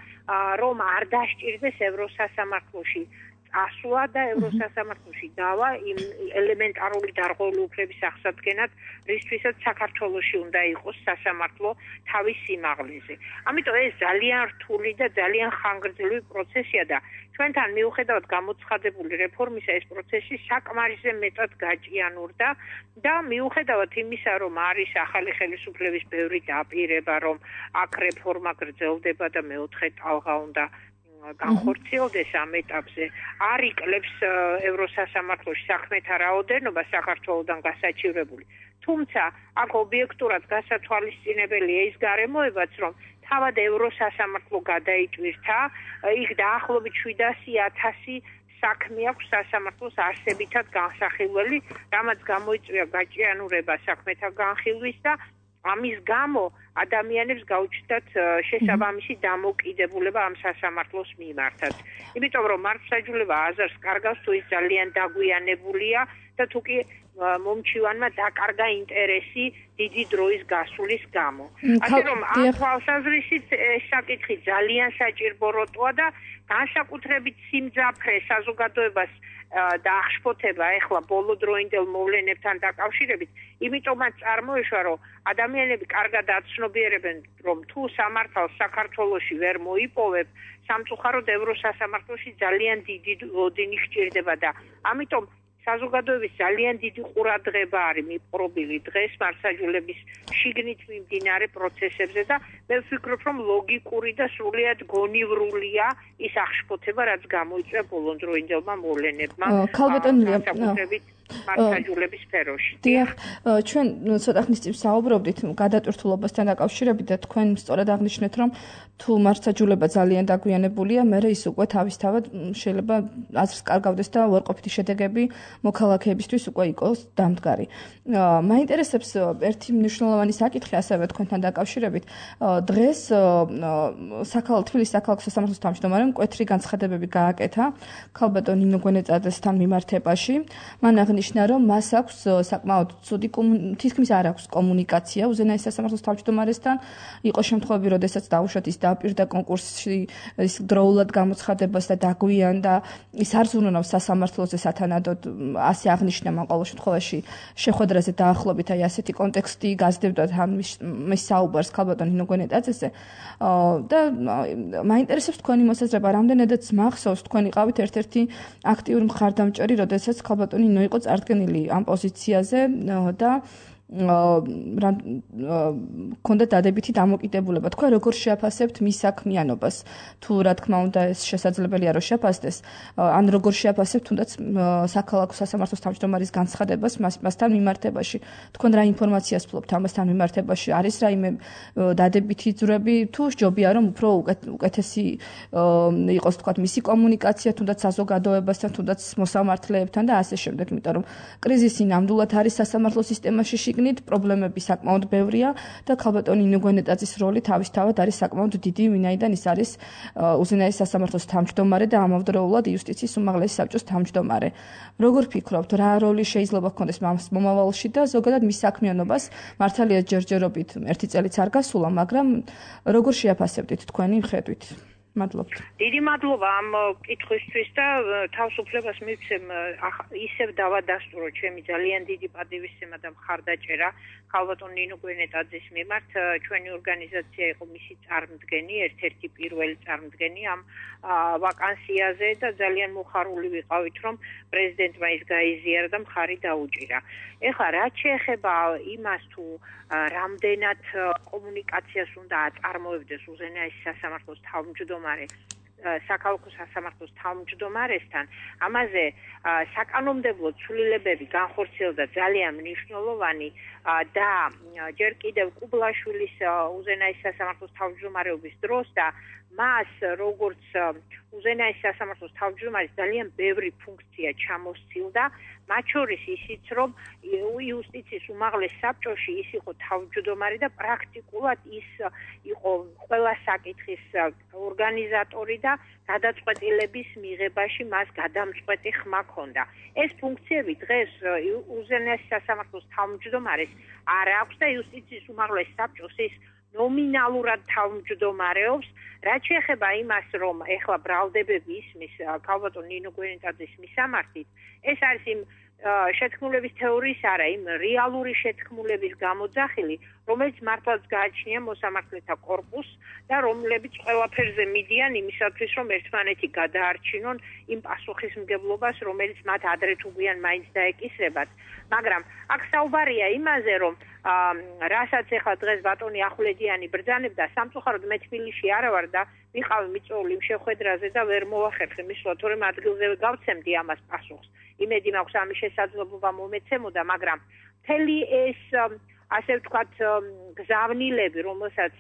რომ არ დასჭირდეს ევროსასამართლოში ასვლა და ევროსასამართლოში დავა იმ ელემენტარული დარღვეული უფლების აღსადგენად, რისთვისაც საქართველოში უნდა იყოს სასამართლო თავის სიმაღლეზე. ამიტომ ეს ძალიან რთული და ძალიან ხანგრძლივი პროცესია და ჩვენთან მიუხედავად გამოცხადებული რეფორმისა, ეს პროცესი საკმარისზე მეტად გაჭიანურდა და მიუხედავად იმისა, რომ არის ახალი ხელისუფლების ბევრი დაპირება, რომ აქ რეფორმა გრძელდება და მეოთხე ტალღა უნდა განხორციელდეს ამ ეტაპზე, არ იკლებს ევროსასამართლოში საქმეთა რაოდენობა საქართველოდან გასაჩივრებული. თუმცა აქ ობიექტურად გასათვალისწინებელია ის გარემოებაც, რომ თავად ევროსასამართლო გადაიჭვირთა, იქ დაახლოებით შვიდასი ათასი საქმე აქვს სასამართლოს არსებითად განსახილველი, რამაც გამოიწვია გაჭიანურება საქმეთა განხილვის და ამის გამო ადამიანებს გაუჩნდათ შესაბამისი დამოკიდებულება ამ სასამართლოს მიმართაც. იმიტომ რომ მართლმსაჯულება აზარს კარგავს, თუ ის ძალიან დაგვიანებულია და თუ კი მომჩივანმა დაკარგა ინტერესი დიდი დროის გასვლის გამო. ასე რომ ამ თვალსაზრისით ეს საკითხი ძალიან საჭირო როტოა და განსაკუთრებით სიმძაფრე საზოგადოებას და აღშფოთება ეხლა ბოლო დროინდელ მოვლენებთან დაკავშირებით, იმიტომაც წარმოიშვა, რომ ადამიანები კარგად აცნობიერებენ, რომ თუ სამართალს საქართველოში ვერ მოიპოვებ, სამწუხაროდ ევროსასამართლოში ძალიან დიდი ლოდინი ხჭირდება და ამიტომ საზოგადოების ძალიან დიდი ყურადღება არის მიპყრობილი დღეს მართლმსაჯულების შიგნით მიმდინარე პროცესებზე და მე ვფიქრობ, რომ ლოგიკური და სრულიად გონივრულია ის აღშფოთება, რაც გამოიწვია ბოლონდროინდელმა მოვლენებმა განსაკუთრებით მართლმსაჯულების სფეროში. დიახ, ჩვენ ცოტა ხნის წინ საუბრობდით გადატვირთულობასთან დაკავშირებით და თქვენ სწორად აღნიშნეთ, რომ თუ მართლმსაჯულება ძალიან დაგვიანებულია, მერე ის უკვე თავისთავად შეიძლება აზრს კარგავდეს და უარყოფითი შედეგები მოქალაქეებისთვის უკვე იყოს დამდგარი. მაინტერესებს ერთი მნიშვნელოვანი საკითხი ასევე თქვენთან დაკავშირებით. დღეს საქალაქო თბილისის საქალაქო სასამართლოს თავმჯდომარემ მკვეთრი განცხადებები გააკეთა ქალბატონ ნინო გვენეტაძესთან მიმართებაში. მან აღნიშნა, რომ მას აქვს საკმაოდ ცუდი თითქმის არ აქვს კომუნიკაცია უზენაეს სასამართლოს თავმჯდომარესთან. იყო შემთხვევები, როდესაც დაუშვათ ის დააპირდა კონკურსში ის დროულად გამოცხადებას და დაგვიანდა, ის არ ზრუნავს სასამართლოზე სათანადოდ, ასე აღნიშნა მან ყოველ შემთხვევაში შეხვედრაზე დაახლოებით აი ასეთი კონტექსტი გაზრდებდათ ამის საუბარს ქალბატონ ნინო გვენეტაძეზე და მაინტერესებს თქვენი მოსაზრება, რამდენადაც მახსოვს თქვენ იყავით ერთ-ერთი აქტიური მხარდამჭერი, როდესაც ქალბატონი ნინო იყო წარდგენილი ამ პოზიციაზე და ქონდა დადებითი დამოკიდებულება. თქვენ როგორ შეაფასებთ მის საქმიანობას? თუ რა თქმა უნდა ეს შესაძლებელია რომ შეაფასდეს, ან როგორ შეაფასებთ თუნდაც საქალაქო სასამართლოს თავმჯდომარის განცხადებას მასთან მიმართებაში? თქვენ რა ინფორმაციას ფლობთ ამასთან მიმართებაში? არის რაიმე დადებითი ძვრები თუ სჯობია რომ უფრო უკეთესი იყოს თქვა მისი კომუნიკაცია თუნდაც საზოგადოებასთან, თუნდაც მოსამართლეებთან და ასე შემდეგ, იმიტომ რომ კრიზისი ნამდვილად არის სასამართლო სისტემაში პრობლემები საკმაოდ ბევრია და ქალბატონ ნინო გვენეტაძის როლი თავისთავად არის საკმაოდ დიდი, ვინაიდან ის არის უზენაეს სასამართლოს თავმჯდომარე და ამავდროულად იუსტიციის უმაღლესი საბჭოს თავმჯდომარე. როგორ ფიქრობთ, რა როლი შეიძლება ჰქონდეს მას მომავალში და ზოგადად მის საქმიანობას? მართალია ჯერჯერობით ერთი წელიც არ გასულა, მაგრამ როგორ შეაფასებდით თქვენი ხედვით? მადლობთ. დიდი მადლობა ამ კითხვისთვის და თავისუფლებას მივცემ ისევ დავადასტურო ჩემი ძალიან დიდი პატივისცემა და მხარდაჭერა ქალბატონ ნინო გვენეტაძის მიმართ. ჩვენი ორგანიზაცია იყო მისი წარმდგენი, ერთ-ერთი პირველი წარმდგენი ამ ვაკანსიაზე და ძალიან მოხარული ვიყავით, რომ პრეზიდენტმა ის გაიზიარა და მხარი დაუჭირა. ეხლა რაც შეეხება იმას თუ რამდენად კომუნიკაციას უნდა აწარმოებდეს უზენაეს სასამართლოს თავმჯდომარე საქალაქო სასამართლოს თავმჯდომარესთან, ამაზე საკანონმდებლო ცვლილებები განხორციელდა ძალიან მნიშვნელოვანი და ჯერ კიდევ კუბლაშვილის უზენაეს სასამართლოს თავმჯდომარეობის დროს და მას როგორც უზენაეს სასამართლოს თავმჯდომარის ძალიან ბევრი ფუნქცია ჩამოსცილდა, მათ შორის ისიც, რომ იუსტიციის უმაღლეს საბჭოში ის იყო თავმჯდომარე და პრაქტიკულად ის იყო ყველა საკითხის ორგანიზატორი და გადაწყვეტილების მიღებაში მას გადამწყვეტი ხმა ჰქონდა. ეს ფუნქციები დღეს უზენაეს სასამართლოს თავმჯდომარეს არ აქვს და იუსტიციის უმაღლეს საბჭოს ის ნომინალურად თავმჯდომარეობს. რაც შეეხება იმას, რომ ეხლა ბრალდებები ისმის ქალბატონ ნინო გვენეტაძის მისამართით, ეს არის იმ შეთქმულების თეორიის არა, იმ რეალური შეთქმულების გამოძახილი, რომელიც მართლაც გააჩნია მოსამართლეთა კორპუსს და რომლებიც ყველაფერზე მიდიან იმისათვის, რომ ერთმანეთი გადაარჩინონ იმ პასუხისმგებლობას, რომელიც მათ ადრე თუ გვიან მაინც დაეკისრებათ. მაგრამ აქ საუბარია იმაზე, რომ რასაც ეხლა დღეს ბატონი ახვლედიანი ბრძანებდა, სამწუხაროდ მე თბილისში არა ვარ და ვიყავი მიწვეული იმ შეხვედრაზე და ვერ მოვახერხე მისვლა, თორემ ადგილზე გავცემდი ამას პასუხს. იმედი მაქვს ამის შესაძლებლობა მომეცემოდა, მაგრამ მთელი ეს ასე ვთქვათ გზავნილები, რომელსაც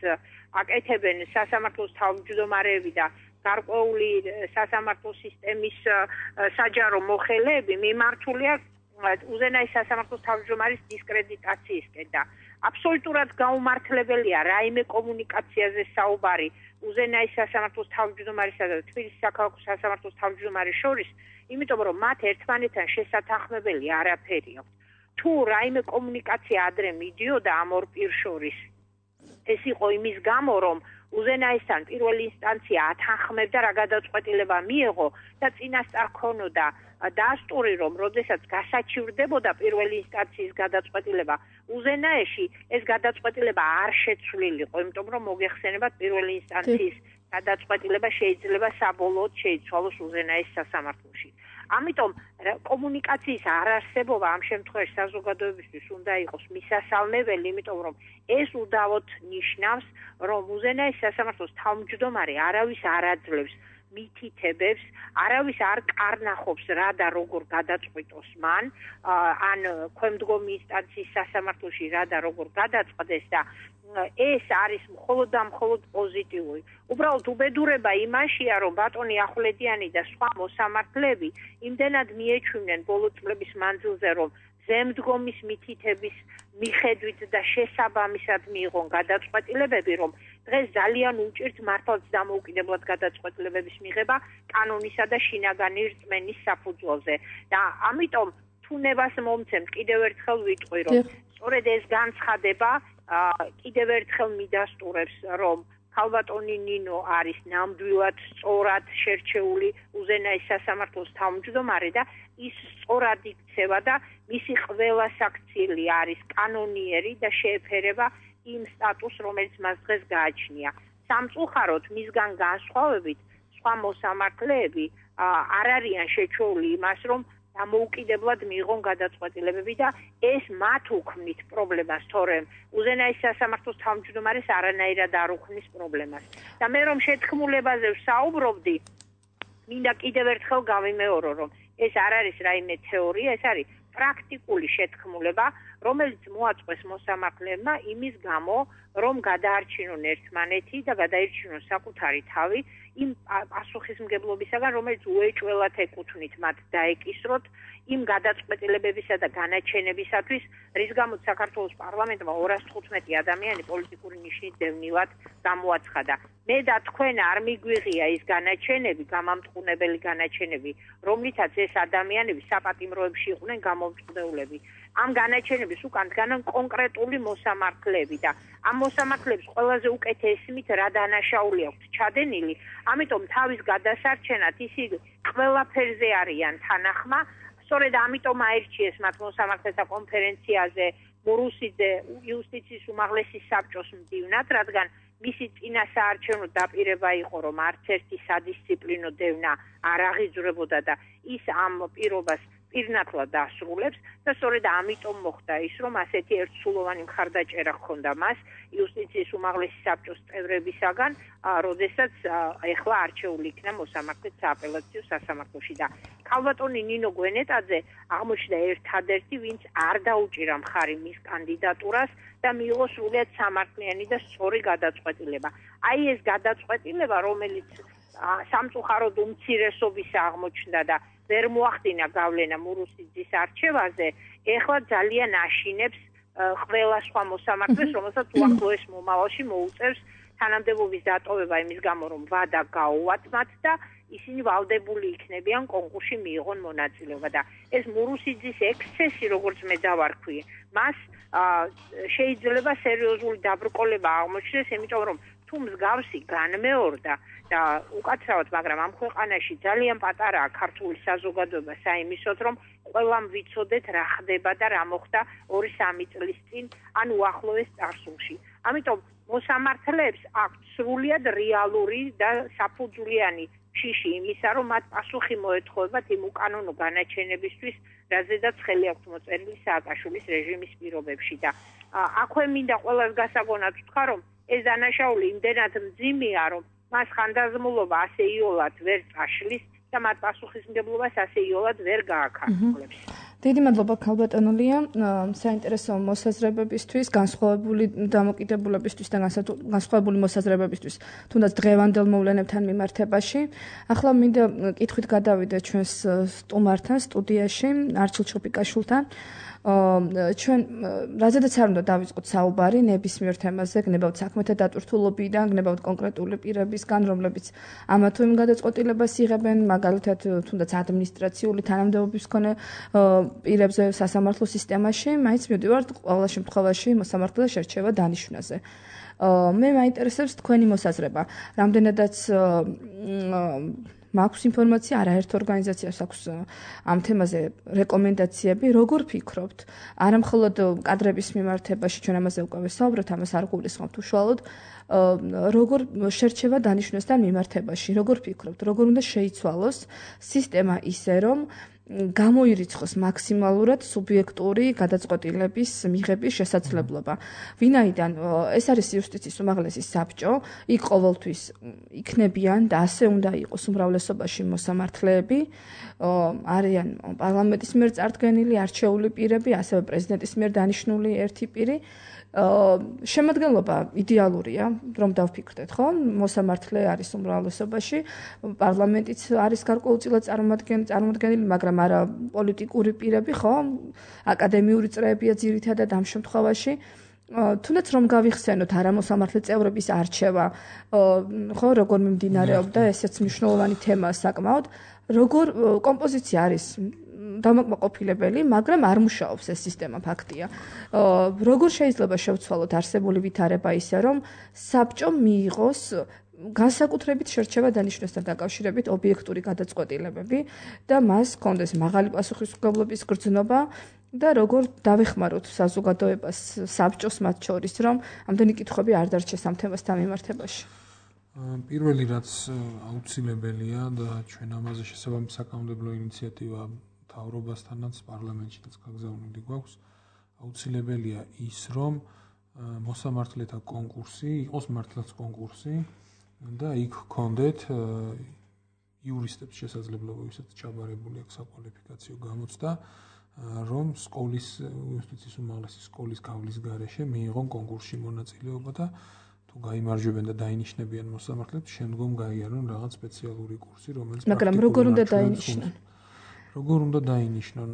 აკეთებენ სასამართლოს თავმჯდომარეები და გარკვეული სასამართლო სისტემის საჯარო მოხელეები მიმართულია უზენაეს სასამართლოს თავმჯდომარის დისკრედიტაციისკენ და აბსოლუტურად გაუმართლებელია რაიმე კომუნიკაციაზე საუბარი უზენაეს სასამართლოს თავმჯდომარისა და თბილისის საქალაქო სასამართლოს თავმჯდომარის შორის, იმიტომ რომ მათ ერთმანეთთან შესათანხმებელი არაფერი აქვს. თუ რაიმე კომუნიკაცია ადრე მიდიოდა ამ ორ პირს შორის, ეს იყო იმის გამო, რომ უზენაესთან პირველი ინსტანცია ათანხმებდა რა გადაწყვეტილება მიიღო და წინასწარ ქონოდა დასტური რომ როდესაც გასაჩივრდებოდა პირველი ინსტანციის გადაწყვეტილება უზენაეში ეს გადაწყვეტილება არ შეცვლილიყო იმიტომ რომ მოგეხსენებათ პირველი ინსტანციის გადაწყვეტილება შეიძლება საბოლოოდ შეიცვალოს უზენაეს სასამართლოში ამიტომ კომუნიკაციის არარსებობა ამ შემთხვევაში საზოგადოებისთვის უნდა იყოს მისასალმებელი იმიტომ რომ ეს უდავოდ ნიშნავს რომ უზენაეს სასამართლოს თავმჯდომარე არავის არ აძლევს მითითებებს, არავის არ კარნახობს რა და როგორ გადაწყვიტოს მან, ან ქვემდგომი ინსტანციის სასამართლოში რა და როგორ გადაწყვეტეს და ეს არის მხოლოდ და მხოლოდ პოზიტიური. უბრალოდ უბედურება იმაშია, რომ ბატონი ახვლედიანი და სხვა მოსამართლეები იმდენად მიეჩვიმნენ ბოლო წლების მანძილზე, რომ ზემდგომის მითითების მიხედვით და შესაბამისად მიიღონ გადაწყვეტილებები, რომ დღეს ძალიან უჭირთ მართლაც დამოუკიდებლად გადაწყვეტილებების მიღება კანონისა და შინაგანი რწმენის საფუძველზე. და ამიტომ თუნებას მომცემთ კიდევ ერთხელ ვიტყვი, რომ სწორედ ეს განცხადება კიდევ ერთხელ მიდასტურებს, რომ ქალბატონი ნინო არის ნამდვილად სწორად შერჩეული უზენაეს სასამართლოს თავმჯდომარე და ის სწორად იქცევა და მისი ყველა საქციელი არის კანონიერი და შეეფერება იმ სტატუსს, რომელიც მას დღეს გააჩნია. სამწუხაროდ მისგან განსხვავებით სხვა მოსამართლეები არ არიან შეჩვეული იმას, რომ დამოუკიდებლად მიიღონ გადაწყვეტილებები და ეს მათ უქმნით პრობლემას, თორემ უზენაეს სასამართლოს თავმჯდომარეს არანაირად არ უქმნის პრობლემას. და მე რომ შეთქმულებაზე ვსაუბრობდი, მინდა კიდევ ერთხელ გავიმეორო, რომ ეს არ არის რაიმე თეორია, ეს არის პრაქტიკული შეთქმულება, რომელიც მოაწყვეს მოსამართლეებმა იმის გამო, რომ გადაარჩინონ ერთმანეთი და გადაირჩინონ საკუთარი თავი იმ პასუხისმგებლობისაგან, რომელიც უეჭველად ეკუთვნით მათ დაეკისროთ იმ გადაწყვეტილებებისა და განაჩენებისათვის, რის გამოც საქართველოს პარლამენტმა ორას თხუთმეტი ადამიანი პოლიტიკური ნიშნით დევნილად გამოაცხადა. მე და თქვენ არ მიგვიღია ის განაჩენები, გამამტყუნებელი განაჩენები, რომლითაც ეს ადამიანები საპატიმროებში იყვნენ გამომწყდეულები. ამ განაჩენების უკან დგანან კონკრეტული მოსამართლეები და ამ მოსამართლეებს ყველაზე უკეთ ესმით რა დანაშაული აქვთ ჩადენილი, ამიტომ თავის გადასარჩენად ისინი ყველაფერზე არიან თანახმა, სწორედ ამიტომ აირჩიეს მათ მოსამართლეთა კონფერენციაზე მურუსიძე იუსტიციის უმაღლესი საბჭოს მდივნად, რადგან მისი წინასაარჩევნო დაპირება იყო, რომ არც ერთი სადისციპლინო დევნა არ აღიძვრებოდა და ის ამ პირობას პირნათლად ასრულებს და სწორედ ამიტომ მოხდა ის, რომ ასეთი ერთსულოვანი მხარდაჭერა ჰქონდა მას იუსტიციის უმაღლესი საბჭოს წევრებისაგან, როდესაც ეხლა არჩეული იქნა მოსამართლედ სააპელაციო სასამართლოში და ქალბატონი ნინო გვენეტაძე აღმოჩნდა ერთადერთი, ვინც არ დაუჭირა მხარი მის კანდიდატურას და მიიღო სრულიად სამართლიანი და სწორი გადაწყვეტილება. აი ეს გადაწყვეტილება, რომელიც სამწუხაროდ უმცირესობის აღმოჩნდა და ვერ მოახდინა გავლენა მურუსიძის არჩევაზე, ეხლა ძალიან აშინებს ყველა სხვა მოსამართლეს, რომელსაც უახლოეს მომავალში მოუწევს თანამდებობის დატოვება იმის გამო, რომ ვადა გაუვათ მათ და ისინი ვალდებული იქნებიან კონკურსში მიიღონ მონაწილეობა და ეს მურუსიძის ექსცესი, როგორც მე დავარქვი, მას შეიძლება სერიოზული დაბრკოლება აღმოჩნდეს, იმიტომ რომ თუ მსგავსი განმეორდა და უკაცრავად, მაგრამ ამ ქვეყანაში ძალიან პატარაა ქართული საზოგადოება საიმისოდ, რომ ყველამ ვიცოდეთ რა ხდება და რა მოხდა ორი სამი წლის წინ, ან უახლოეს წარსულში. ამიტომ მოსამართლეებს აქვთ სრულიად რეალური და საფუძვლიანი შიში იმისა, რომ მათ პასუხი მოეთხოვებათ იმ უკანონო განაჩენებისთვის, რაზედაც ხელი აქვთ მოწერილი სააკაშვილის რეჟიმის პირობებში და აქვე მინდა ყველას გასაგონად ვთქვა, რომ ეს დანაშაული იმდენად მძიმეა, რომ მას ხანდაზმულობა ასე იოლად ვერ წაშლის და მათ პასუხისმგებლობას ასე იოლად ვერ გააქართულებს. დიდი მადლობა ქალბატონულია საინტერესო მოსაზრებებისთვის, განსხვავებული დამოკიდებულებისთვის და განსხვავებული მოსაზრებებისთვის, თუნდაც დღევანდელ მოვლენებთან მიმართებაში. ახლა მინდა კითხვით გადავიდე ჩვენს სტუმართან სტუდიაში, არჩილ ჩოპიკაშვილთან. ჩვენ რაზედაც არ უნდა დავიწყოთ საუბარი ნებისმიერ თემაზე, გნებავთ საქმეთა დატვირთულობიდან, გნებავთ კონკრეტული პირებისგან, რომლებიც ამა თუ იმ გადაწყვეტილებას იღებენ, მაგალითად თუნდაც ადმინისტრაციული თანამდებობის მქონე პირებზე სასამართლო სისტემაში, მაინც მივდივართ ყველა შემთხვევაში მოსამართლე შერჩევა დანიშვნაზე. მე მაინტერესებს თქვენი მოსაზრება. რამდენადაც მაქვს ინფორმაცია, არაერთ ორგანიზაციას აქვს ამ თემაზე რეკომენდაციები, როგორ ფიქრობთ? არა მხოლოდ კადრების მიმართებაში, ჩვენ ამაზე უკვე ვისაუბრეთ, ამას არ გულისხმობთ უშუალოდ, როგორ შერჩევა დანიშვნასთან მიმართებაში, როგორ ფიქრობთ, როგორ უნდა შეიცვალოს სისტემა ისე, რომ გამოირიცხოს მაქსიმალურად სუბიექტური გადაწყვეტილების მიღების შესაძლებლობა. ვინაიდან ეს არის იუსტიციის უმაღლესი საბჭო, იქ ყოველთვის იქნებიან და ასე უნდა იყოს უმრავლესობაში მოსამართლეები, არიან პარლამენტის მიერ წარდგენილი არჩეული პირები, ასევე პრეზიდენტის მიერ დანიშნული ერთი პირი. შემადგენლობა იდეალურია, რომ დავფიქრდეთ, ხო? მოსამართლე არის უმრავლესობაში, პარლამენტიც არის გარკვეულწილად წარმოადგენელი, მაგრამ არა პოლიტიკური პირები, ხო? აკადემიური წრეებია ძირითადად ამ შემთხვევაში. თუნდაც რომ გავიხსენოთ არამოსამართლე წევრების არჩევა, ხო, როგორ მიმდინარეობდა, ესეც მნიშვნელოვანი თემაა საკმაოდ, როგორ კომპოზიცია არის დამაკმაყოფილებელი, მაგრამ არ მუშაობს ეს სისტემა, ფაქტია. როგორ შეიძლება შევცვალოთ არსებული ვითარება ისე, რომ საბჭომ მიიღოს განსაკუთრებით შერჩევა დანიშვნასთან დაკავშირებით ობიექტური გადაწყვეტილებები და მას ჰქონდეს მაღალი პასუხისმგებლობის გრძნობა და როგორ დავეხმაროთ საზოგადოებას, საბჭოს მათ შორის, რომ ამდენი კითხვები არ დარჩეს ამ თემასთან მიმართებაში. პირველი რაც აუცილებელია და ჩვენ ამაზე შესაბამისი საკანონმდებლო ინიციატივა მთავრობასთანაც პარლამენტშიც გაგზავნილი გვაქვს, აუცილებელია ის, რომ მოსამართლეთა კონკურსი იყოს მართლაც კონკურსი და იქ ჰქონდეთ იურისტებს შესაძლებლობა, ვისაც ჩაბარებული აქვს საკვალიფიკაციო გამოცდა, რომ სკოლის იუსტიციის უმაღლესი სკოლის გავლის გარეშე მიიღონ კონკურსში მონაწილეობა და თუ გაიმარჯვებენ და დაინიშნებიან მოსამართლეებს, შემდგომ გაიარონ რაღაც სპეციალური კურსი, რომელიც მაგრამ როგორ უნდა დაინიშნონ? როგორ უნდა დაინიშნონ?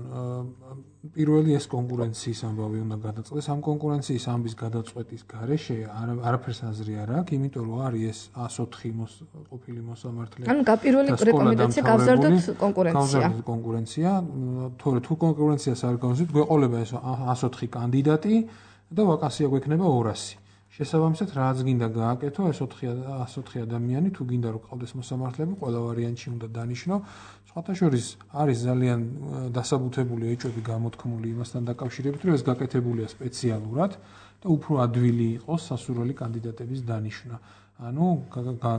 პირველი ეს კონკურენციის ამბავი უნდა გადაწყვეტეს. ამ კონკურენციის ამბის გადაწყვეტის გარეშე არაფერს აზრი არ აქვს, იმიტომ რომ არის ეს ას ოთხი ყოფილი მოსამართლე. ანუ გაპირველი რეკომენდაცია გავზარდოთ კონკურენცია. გავზარდოთ კონკურენცია. თორე თუ კონკურენციას არ გავზარდოთ, გვეყოლება ეს ას ოთხი კანდიდატი და ვაკანსია გვექნება ორასი. შესაბამისად, რაც გინდა გააკეთო, ეს ას ოთხი ადამიანი, თუ გინდა რომ ყავდეს მოსამართლეები, ყველა ვარიანტში უნდა დანიშნო. სხვათა შორის არის ძალიან დასაბუთებული ეჭვები გამოთქმული იმასთან დაკავშირებით, რომ ეს გაკეთებულია სპეციალურად და უფრო ადვილი იყოს სასურველი კანდიდატების დანიშვნა. ანუ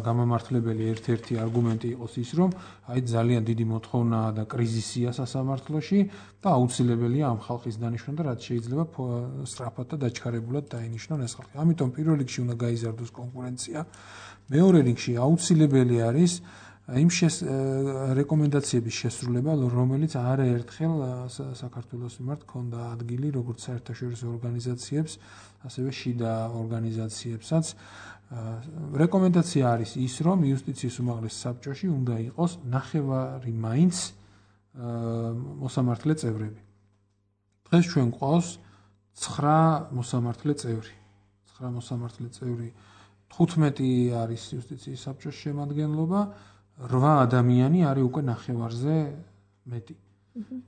გამამართლებელი ერთ-ერთი არგუმენტი იყოს ის, რომ აი ძალიან დიდი მოთხოვნაა და კრიზისია სასამართლოში და აუცილებელია ამ ხალხის დანიშვნა და რაც შეიძლება სწრაფად და დაჩქარებულად დაინიშნონ ეს ხალხი. ამიტომ პირველ რიგში უნდა გაიზარდოს კონკურენცია. მეორე რიგში აუცილებელი არის იმ რეკომენდაციების შესრულება, რომელიც არაერთხელ საქართველოს მიმართ ჰქონდა ადგილი, როგორც საერთაშორისო ორგანიზაციებს, ასევე შიდა ორგანიზაციებსაც. რეკომენდაცია არის ის, რომ იუსტიციის უმაღლეს საბჭოში უნდა იყოს ნახევარი მაინც მოსამართლე წევრები. დღეს ჩვენ გვყავს ცხრა მოსამართლე წევრი. ცხრა მოსამართლე წევრი, თხუთმეტი არის იუსტიციის საბჭოს შემადგენლობა, რვა ადამიანი არის უკვე ნახევარზე მეტი.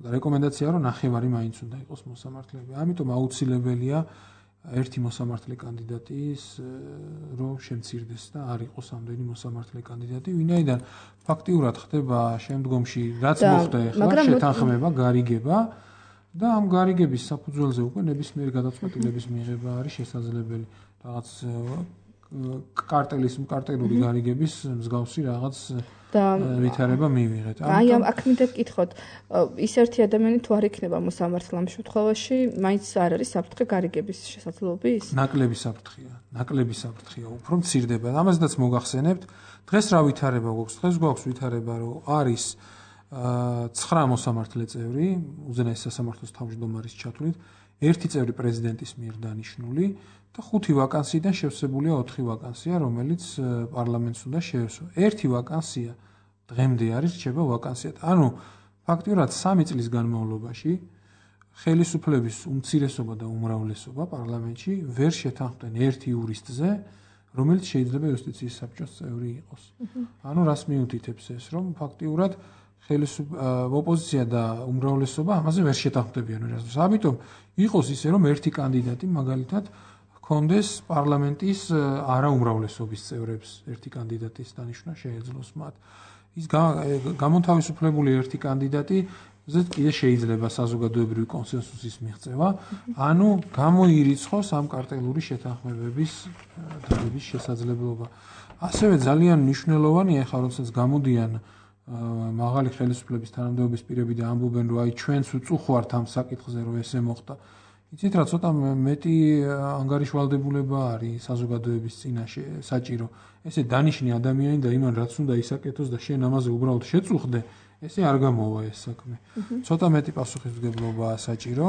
და რეკომენდაცია რომ ნახევარი მაინც უნდა იყოს მოსამართლეები. ამიტომ აუცილებელია ერთი მოსამართლე კანდიდატის რომ შემცირდეს და არ იყოს ამდენი მოსამართლე კანდიდატი, ვინაიდან ფაქტიურად ხდება შემდგომში რაც მოხდა ახლა შეთანხმება, გარიგება და ამ გარიგების საფუძველზე უკვე ნებისმიერი გადაწყვეტილების მიღება არის შესაძლებელი. რაღაც კარტელის კარტელური გარიგების მსგავსი რაღაც ვითარება მივიღეთ. აი ამ აქ მინდა გკითხოთ, ის ერთი ადამიანი თუ არ იქნება მოსამართლე ამ შემთხვევაში, მაინც არ არის საფრთხე გარიგების შესაძლებლობის? ნაკლები საფრთხეა, ნაკლები საფრთხეა, უფრო მცირდება. ამაზეც მოგახსენებთ, დღეს რა ვითარება გვაქვს? დღეს გვაქვს ვითარება, რომ არის ცხრა მოსამართლე წევრი, უზენაეს სასამართლოს თავმჯდომარის ჩათვლით, ერთი წევრი პრეზიდენტის მიერ დანიშნული და ხუთი ვაკანსიიდან შევსებულია ოთხი ვაკანსია, რომელიც პარლამენტს უნდა შეესვა. ერთი ვაკანსია დღემდე არის რჩება ვაკანსიად. ანუ ფაქტიურად სამი წლის განმავლობაში ხელისუფლების უმცირესობა და უმრავლესობა პარლამენტში ვერ შეთანხმდნენ ერთ იურისტზე, რომელიც შეიძლება იუსტიციის საბჭოს წევრი იყოს. ანუ რას მიუთითებს ეს, რომ ფაქტიურად ოპოზიცია და უმრავლესობა ამაზე ვერ შეთანხმდებიან ვერასდროს. ამიტომ იყოს ისე, რომ ერთი კანდიდატი მაგალითად ჰქონდეს პარლამენტის არაუმრავლესობის წევრებს ერთი კანდიდატის დანიშვნა შეეძლოს მათ. ის გამონთავისუფლებული ერთი კანდიდატი ზედ კიდე შეიძლება საზოგადოებრივი კონსენსუსის მიღწევა, ანუ გამოირიცხოს ამ კარტელური შეთანხმებების დადების შესაძლებლობა. ასევე ძალიან მნიშვნელოვანია, ხა როდესაც გამოდიან მაღალი ხელისუფლების თანამდებობის პირები და ამბობენ, რომ აი ჩვენც უწუხვართ ამ საკითხზე, რომ ესე მოხდა. იცით რა, ცოტა მეტი ანგარიშვალდებულება არის საზოგადოების წინაშე საჭირო. ესე დანიშნი ადამიანი და იმან რაც უნდა ისაკეთოს და შენ ამაზე უბრალოდ შეწუხდე, ესე არ გამოვა ეს საქმე. ცოტა მეტი პასუხისმგებლობაა საჭირო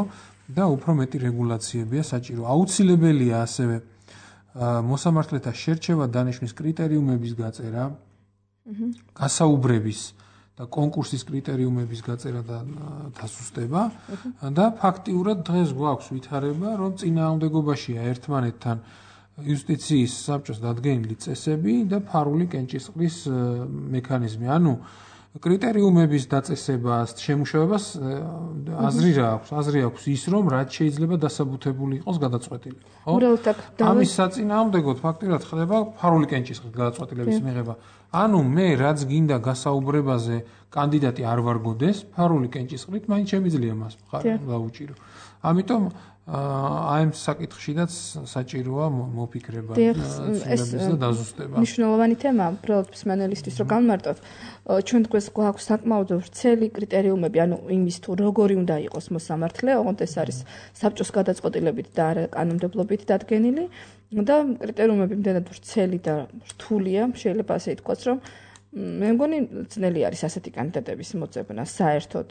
და უფრო მეტი რეგულაციებია საჭირო. აუცილებელია ასევე მოსამართლეთა შერჩევა დანიშვნის კრიტერიუმების გაწერა, გასაუბრების და კონკურსის კრიტერიუმების გაწერა და დასუსტება და ფაქტიურად დღეს გვაქვს ვითარება, რომ წინააღმდეგობაშია ერთმანეთთან იუსტიციის საბჭოს დადგენილი წესები და ფარული კენჭისყრის მექანიზმი. ანუ კრიტერიუმების დაწესებას, შემუშავებას აზრი რა აქვს? აზრი აქვს ის, რომ რაც შეიძლება დასაბუთებული იყოს გადაწყვეტილი. ხო? ამის საწინააღმდეგოდ ფაქტიურად ხდება ფარული კენჭისყრის გადაწყვეტილების მიღება. ანუ მე რაც გინდა გასაუბრებაზე კანდიდატი არ ვარგოდეს, ფარული კენჭისყრით მაინც შემიძლია მას გავუჭირო. ამიტომ აი ამ საკითხშიდაც საჭიროა მოფიქრება და დაზუსტება. მნიშვნელოვანი თემაა, უბრალოდ მსმენელისთვის რომ განმარტოთ, ჩვენ თქვენს გვაქვს საკმაოდ ვრცელი კრიტერიუმები, ანუ იმის თუ როგორი უნდა იყოს მოსამართლე, ოღონდ ეს არის საბჭოს გადაწყვეტილებით და არა კანონმდებლობით დადგენილი და კრიტერიუმები იმდენად ვრცელი და რთულია, შეიძლება ასე ითქვას, რომ მე მგონი ძნელი არის ასეთი კანდიდატების მოწებნა საერთოდ.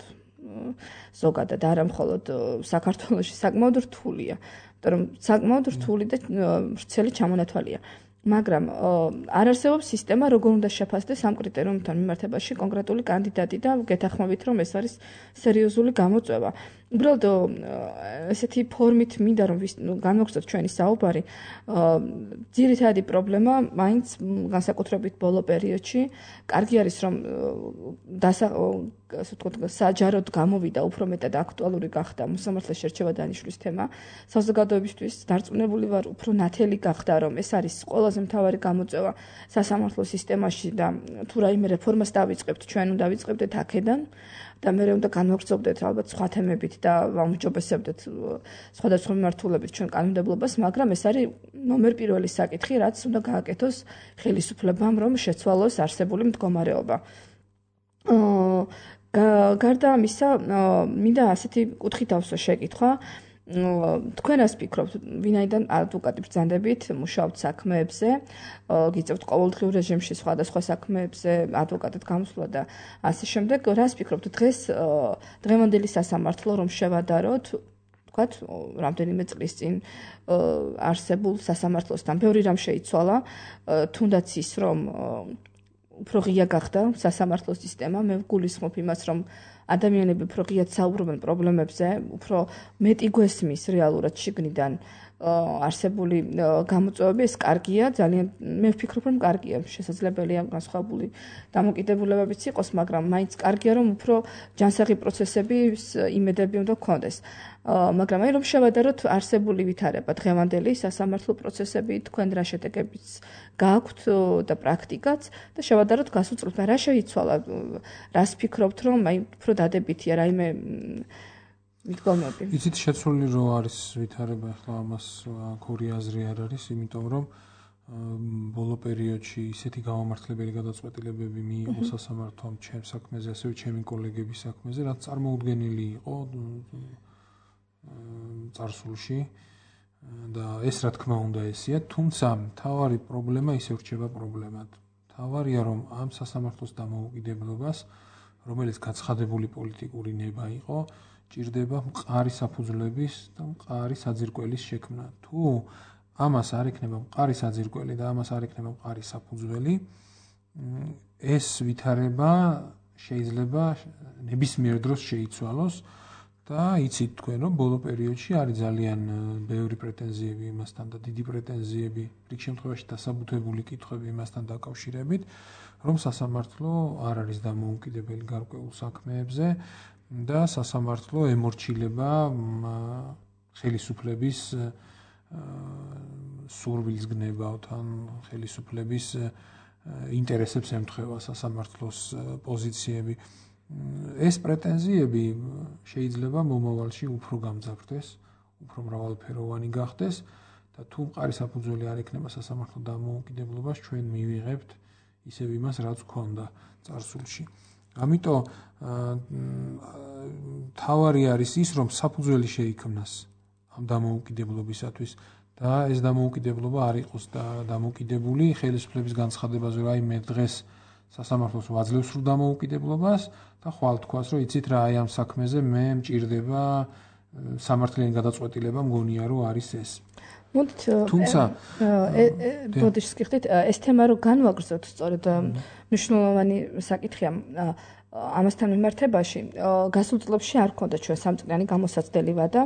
ზოგადად არა მხოლოდ საქართველოში საკმაოდ რთულია, იმიტომ რომ საკმაოდ რთული და ვრცელი ჩამონათვალია. მაგრამ არ არსებობს სისტემა, როგორ უნდა შეფასდეს ამ კრიტერიუმთან მიმართებაში კონკრეტული კანდიდატი და გეთანხმებით, რომ ეს არის სერიოზული გამოწვევა. უბრალოდ ესეთი ფორმით მინდა რომ განვაგრძელოთ ჩვენი საუბარი. ძირითადი პრობლემა მაინც განსაკუთრებით ბოლო პერიოდში, კარგი არის რომ ასე ვთქვათ, საჯაროდ გამოვიდა უფრო მეტად აქტუალური გახდა მოსამართლეს შერჩევა დანიშვნის თემა. საზოგადოებისთვის დარწმუნებული ვარ, უფრო ნათელი გახდა, რომ ეს არის ყველაზე მთავარი გამოწვევა სასამართლო სისტემაში და თუ რაიმე რეფორმას დავიწყებთ, ჩვენ უნდა დავიწყებდეთ აქედან და მე უნდა განვაგრძობდეთ ალბათ სხვა თემებით და ვაუმჯობესებდეთ სხვადასხვა მიმართულებით ჩვენ კანონმდებლობას, მაგრამ ეს არის ნომერ პირველი საკითხი, რაც უნდა გააკეთოს ხელისუფლებამ, რომ შეცვალოს არსებული მდგომარეობა. გარდა ამისა, მინდა ასეთი კუთხით ავსო შეკითხვა. თქვენ რას ფიქრობთ, ვინაიდან ადვოკატი ბრძანდებით, მუშაობთ საქმეებზე, გიწევთ ყოველდღიურ რეჟიმში სხვადასხვა საქმეებზე, ადვოკატად გამოსვლა და ასე შემდეგ, რას ფიქრობთ დღეს დღევანდელი სასამართლო რომ შევადაროთ, ვთქვათ, რამდენიმე წლის წინ არსებულ სასამართლოსთან ბევრი რამ შეიცვალა, თუნდაც ის რომ უფრო ღია გახდა სასამართლო სისტემა, მე ვგულისხმობ იმას, რომ ადამიანები უფრო ღიად საუბრობენ პრობლემებზე, უფრო მეტი გვესმის რეალურად შიგნიდან არსებული გამოწვევები, ეს კარგია, ძალიან მე ვფიქრობ, რომ კარგია, შესაძლებელია განსხვავებული დამოკიდებულებებიც იყოს, მაგრამ მაინც კარგია, რომ უფრო ჯანსაღი პროცესების იმედები უნდა გქონდეს. მაგრამ აი რომ შევადაროთ არსებული ვითარება დღევანდელი სასამართლო პროცესები, თქვენ რა შედეგებიც გააქვთ და პრაქტიკაც და შევადაროთ გასულ წლთან რა შეიცვალა, რას ფიქრობთ, რომ აი უფრო დადებითია რაიმე მიდგომები. იცით შეცვლილი რო არის ვითარება, ახლა ამას ორი აზრი არ არის, იმიტომ რომ ბოლო პერიოდში ისეთი გამომართლებელი გადაწყვეტილებები მიიღო სასამართლომ ჩემ საქმეზე, ასევე ჩემი კოლეგების საქმეზე, რაც წარმოუდგენელი იყო წარსულში და ეს რა თქმა უნდა ესია, თუმცა მთავარი პრობლემა ისევ რჩება პრობლემად. მთავარია რომ ამ სასამართლოს დამოუკიდებლობას, რომელიც გაცხადებული პოლიტიკური ნება იყო, ჭირდება მყარი საფუძვლების და მყარი საძირკველის შექმნა. თუ ამას არ იქნება მყარი საძირკველი და ამას არ იქნება მყარი საფუძველი, ეს ვითარება შეიძლება ნებისმიერ დროს შეიცვალოს და იცით თქვენ რომ ბოლო პერიოდში არის ძალიან ბევრი პრეტენზიები იმასთან და დიდი პრეტენზიები რიგ შემთხვევაში დასაბუთებული კითხვები იმასთან დაკავშირებით რომ სასამართლო არ არის დამოუკიდებელი გარკვეულ საქმეებზე და სასამართლო ემორჩილება ხელისუფლების სურვილს გნებავთ ან ხელისუფლების ინტერესებს ემთხვევა სასამართლოს პოზიციები. ეს პრეტენზიები შეიძლება მომავალში უფრო გამძაფრდეს, უფრო მრავალფეროვანი გახდეს და თუ მყარი საფუძველი არ ექნება სასამართლო დამოუკიდებლობას, ჩვენ მივიღებთ ისევ იმას, რაც გვქონდა წარსულში. ამიტომ თავარი არის ის, რომ საფუძველი შეიქმნას ამ დამოუკიდებლობისათვის და ეს დამოუკიდებლობა არ იყოს დამოუკიდებული ხელისუფლების განცხადებაზე, რომ აი მე დღეს სასამართლოს ვაძლევს სრულ დამოუკიდებლობას და ხვალ თქვას, რომ იცით რა, აი ამ საქმეზე მე მჭირდება სამართლიანი გადაწყვეტილება, მგონია რომ არის ეს. მოდით თუმცა ბოდიშს გიხდით ეს თემა რო განვაგრძოთ, სწორედ მნიშვნელოვანი საკითხია ამასთან მიმართებაში. გასულ წლებში არ ქონდა ჩვენ სამწლიანი გამოსაცდელი ვადა.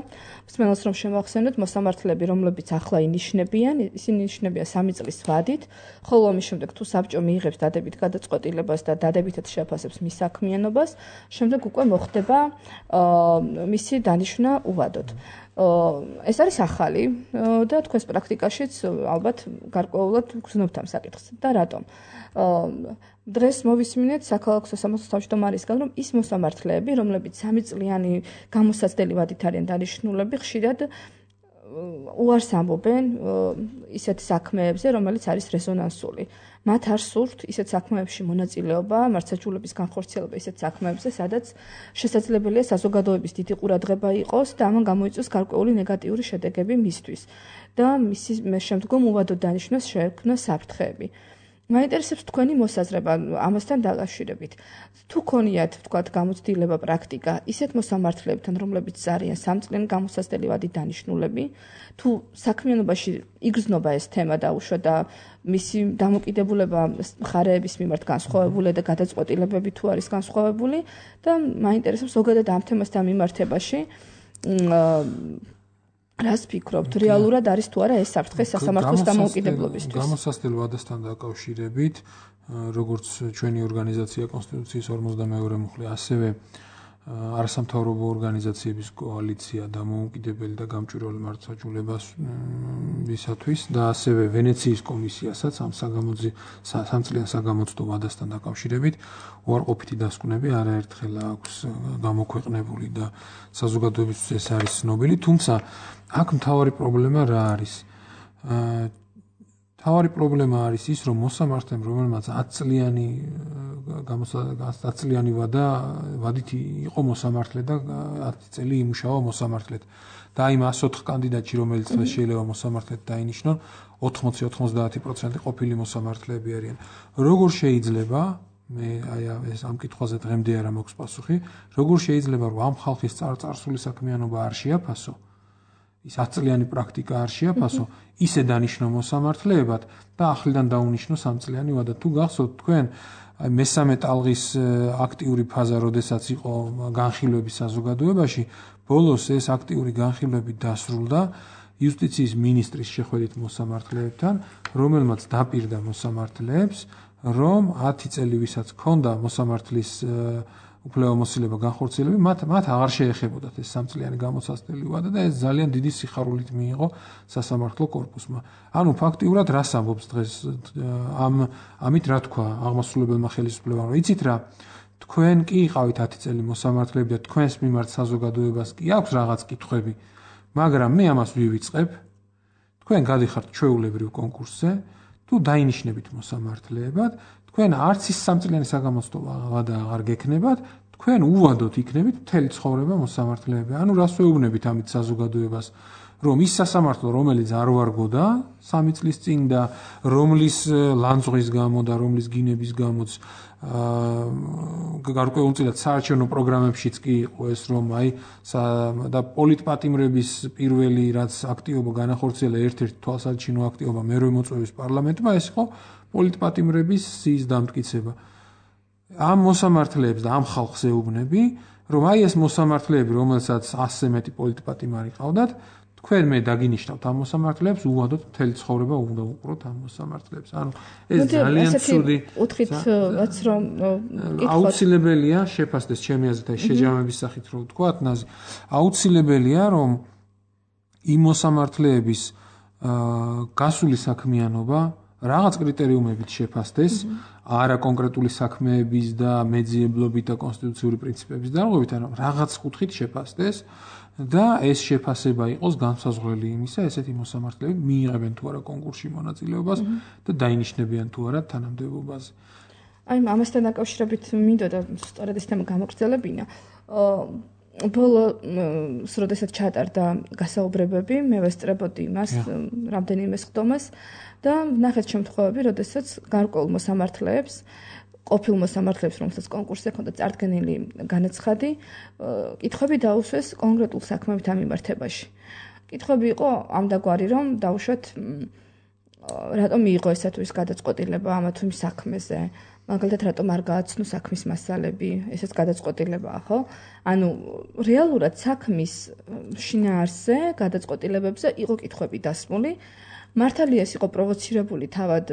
მსმენელს რომ შემოახსენოთ, მოსამართლეები, რომლებიც ახლა ინიშნებიან, ისინი ინიშნებიან სამი წლის ვადით, ხოლო ამის შემდეგ თუ საბჭო მიიღებს დადებით გადაწყვეტილებას და დადებითად შეაფასებს მის საქმიანობას, შემდეგ უკვე მოხდება მისი დანიშვნა უვადოდ. ეს არის ახალი და თქვენს პრაქტიკაშიც ალბათ გარკვეულად გრძნობთ ამ საკითხს და რატომ? დღეს მოვისმინეთ საქალაქო სასამართლოს თავმჯდომარისგან, რომ ის მოსამართლეები, რომლებიც სამი წლიანი გამოსაცდელი ვადით არიან დანიშნულები, ხშირად უარს ამბობენ ისეთ საქმეებზე, რომელიც არის რეზონანსული. მათ არ სურთ ისეთ საქმეებში მონაწილეობა, მართლმსაჯულების განხორციელება ისეთ საქმეებზე, სადაც შესაძლებელია საზოგადოების დიდი ყურადღება იყოს და ამან გამოიწვიოს გარკვეული ნეგატიური შედეგები მისთვის და მისი შემდგომ უვადოდ დანიშვნას შეექმნა საფრთხეები. მაინტერესებს თქვენი მოსაზრება ამასთან დაკავშირებით. თუ ქონიათ, თქვათ, გამოცდილება პრაქტიკა ისეთ მოსამართლეებთან, რომლებიც არიან სამწლიანი გამოსაცდელი ვადით დანიშნულები, თუ საქმიანობაში იგრძნობა ეს თემა დაუშვა და მისი დამოკიდებულება მხარეების მიმართ განსხვავებული და გადაწყვეტილებები თუ არის განსხვავებული და მაინტერესებს ზოგადად ამ თემასთან მიმართებაში რას ფიქრობთ, რეალურად არის თუ არა ეს საფრთხე სასამართლოს დამოუკიდებლობისთვის? გამოსაცდელ ვადასთან დაკავშირებით, როგორც ჩვენი ორგანიზაცია კონსტიტუციის ორმოცდამეორე მუხლი, ასევე არასამთავრობო ორგანიზაციების კოალიცია დამოუკიდებელი და გამჭვირვალე მართლმსაჯულებასთვის და ასევე ვენეციის კომისიასაც ამ სამწლიან საგამოცდო ვადასთან დაკავშირებით უარყოფითი დასკვნები არაერთხელ აქვს გამოქვეყნებული და საზოგადოებისთვის ეს არის ცნობილი, თუმცა აქ მთავარი პრობლემა რა არის? მთავარი პრობლემა არის ის, რომ მოსამართლემ, რომელმაც ათწლიანი ათი წლიანი ვადა ვადით იყო მოსამართლე და ათი წელი იმუშავა მოსამართლედ. და იმ ათს ოთხ კანდიდატში, რომელიც დღეს შეიძლება მოსამართლედ დაინიშნონ, ოთხმოცი ოცდაათი პროცენტი ყოფილი მოსამართლეები არიან. როგორ შეიძლება, მე აი ეს ამ კითხვაზე დღემდე არა მაქვს პასუხი, როგორ შეიძლება რომ ამ ხალხის წარსული საქმიანობა არ შეაფასო? ის ათი წლიანი პრაქტიკა არ შეაფასო, ისე დანიშნო მოსამართლეებად და ახლიდან დაუნიშნო სამწლიანი ვადა. თუ გახსოვთ თქვენ მესამე ტალღის აქტიური ფაზა, როდესაც იყო განხილვები საზოგადოებაში, ბოლოს ეს აქტიური განხილვები დასრულდა იუსტიციის მინისტრის შეხვედრით მოსამართლეებთან, რომელმაც დაპირდა მოსამართლეებს, რომ ათი წელი ვისაც ჰქონდა მოსამართლის უფლებამოსილება განხორციელები, მათ მათ აღარ შეეხებოდათ ეს სამწლიანი გამოსაცდელი ვადა და ეს ძალიან დიდი სიხარულით მიიღო სასამართლო კორპუსმა. ანუ ფაქტიურად რას ამბობს დღეს ამ ამით რა თქვა აღმასრულებელმა ხელისუფლებამ, რომ იცით რა, თქვენ კი იყავით ათი წელი მოსამართლეები და თქვენს მიმართ საზოგადოებას კი აქვს რაღაც კითხვები, მაგრამ მე ამას ვივიწყებ, თქვენ გადიხართ ჩვეულებრივ კონკურსზე, თუ დაინიშნებით მოსამართლეებად, თქვენ არც ის სამწლიანი საგამოცდო ვადა აღარ გექნებათ, თქვენ უვადოდ იქნებით მთელი ცხოვრება მოსამართლეები. ანუ რას ვეუბნებით ამით საზოგადოებას, რომ ის სასამართლო, რომელიც არ ვარგოდა სამი წლის წინ და რომლის ლანძღვის გამო და რომლის გინების გამოც გარკვეულწილად საარჩევნო პროგრამებშიც კი იყო ეს, რომ აი და პოლიტპატიმრების პირველი რაც აქტივობა განახორციელა, ერთ-ერთი თვალსაჩინო აქტივობა მერვე მოწვევის პარლამენტმა, ეს იყო პოლიტპატიმრების სიის დამტკიცება. ამ მოსამართლეებს და ამ ხალხს ეუბნები, რომ აი ეს მოსამართლეები, რომელსაც ასზე მეტი პოლიტპატიმარი ყავდათ, თქვენ მე დაგინიშნავთ ამ მოსამართლეებს, უვადოთ მთელი ცხოვრება უნდა უყუროთ ამ მოსამართლეებს. ანუ ეს ძალიან ცუდი უთხით რაც რომ აუცილებელია შეფასდეს ჩემი აზრით აი შეჯამების სახით რო ვთქვათ, ნაზი, აუცილებელია რომ იმ მოსამართლეების გასული საქმიანობა რაღაც კრიტერიუმებით შეფასდეს, არა კონკრეტული საქმეების და მეძიებლობით და კონსტიტუციური პრინციპების დარღვევით, ანუ რაღაც კუთხით შეფასდეს და ეს შეფასება იყოს განსაზღვრელი იმისა, ესეთი მოსამართლეები მიიღებენ თუ არა კონკურსში მონაწილეობას და დაინიშნებიან თუ არა თანამდებობაზე. აი ამასთან დაკავშირებით მინდოდა სწორედ ეს თემა გამოგრძელებინა. ბოლოს როდესაც ჩატარდა გასაუბრებები, მე ვესწრებოდი იმას, რამდენიმე სხდომას და ნახეთ შემთხვევები, როდესაც გარკვეულ მოსამართლეებს, ყოფილ მოსამართლეებს, რომელსაც კონკურსზე ჰქონდა წარდგენილი განაცხადი, კითხვები დაუსვეს კონკრეტულ საქმეებთან მიმართებაში. კითხვები იყო ამდაგვარი, რომ დაუშვათ რატომ მიიღო ესა თუ ის გადაწყვეტილება ამა თუ იმ საქმეზე. მაგალითად, რატომ არ გააცნო საქმის მასალები, ესეც გადაწყვეტილებაა, ხო? ანუ რეალურად საქმის შინაარსზე, გადაწყვეტილებებზე იყო კითხვები დასმული. მართალია ეს იყო პროვოცირებული თავად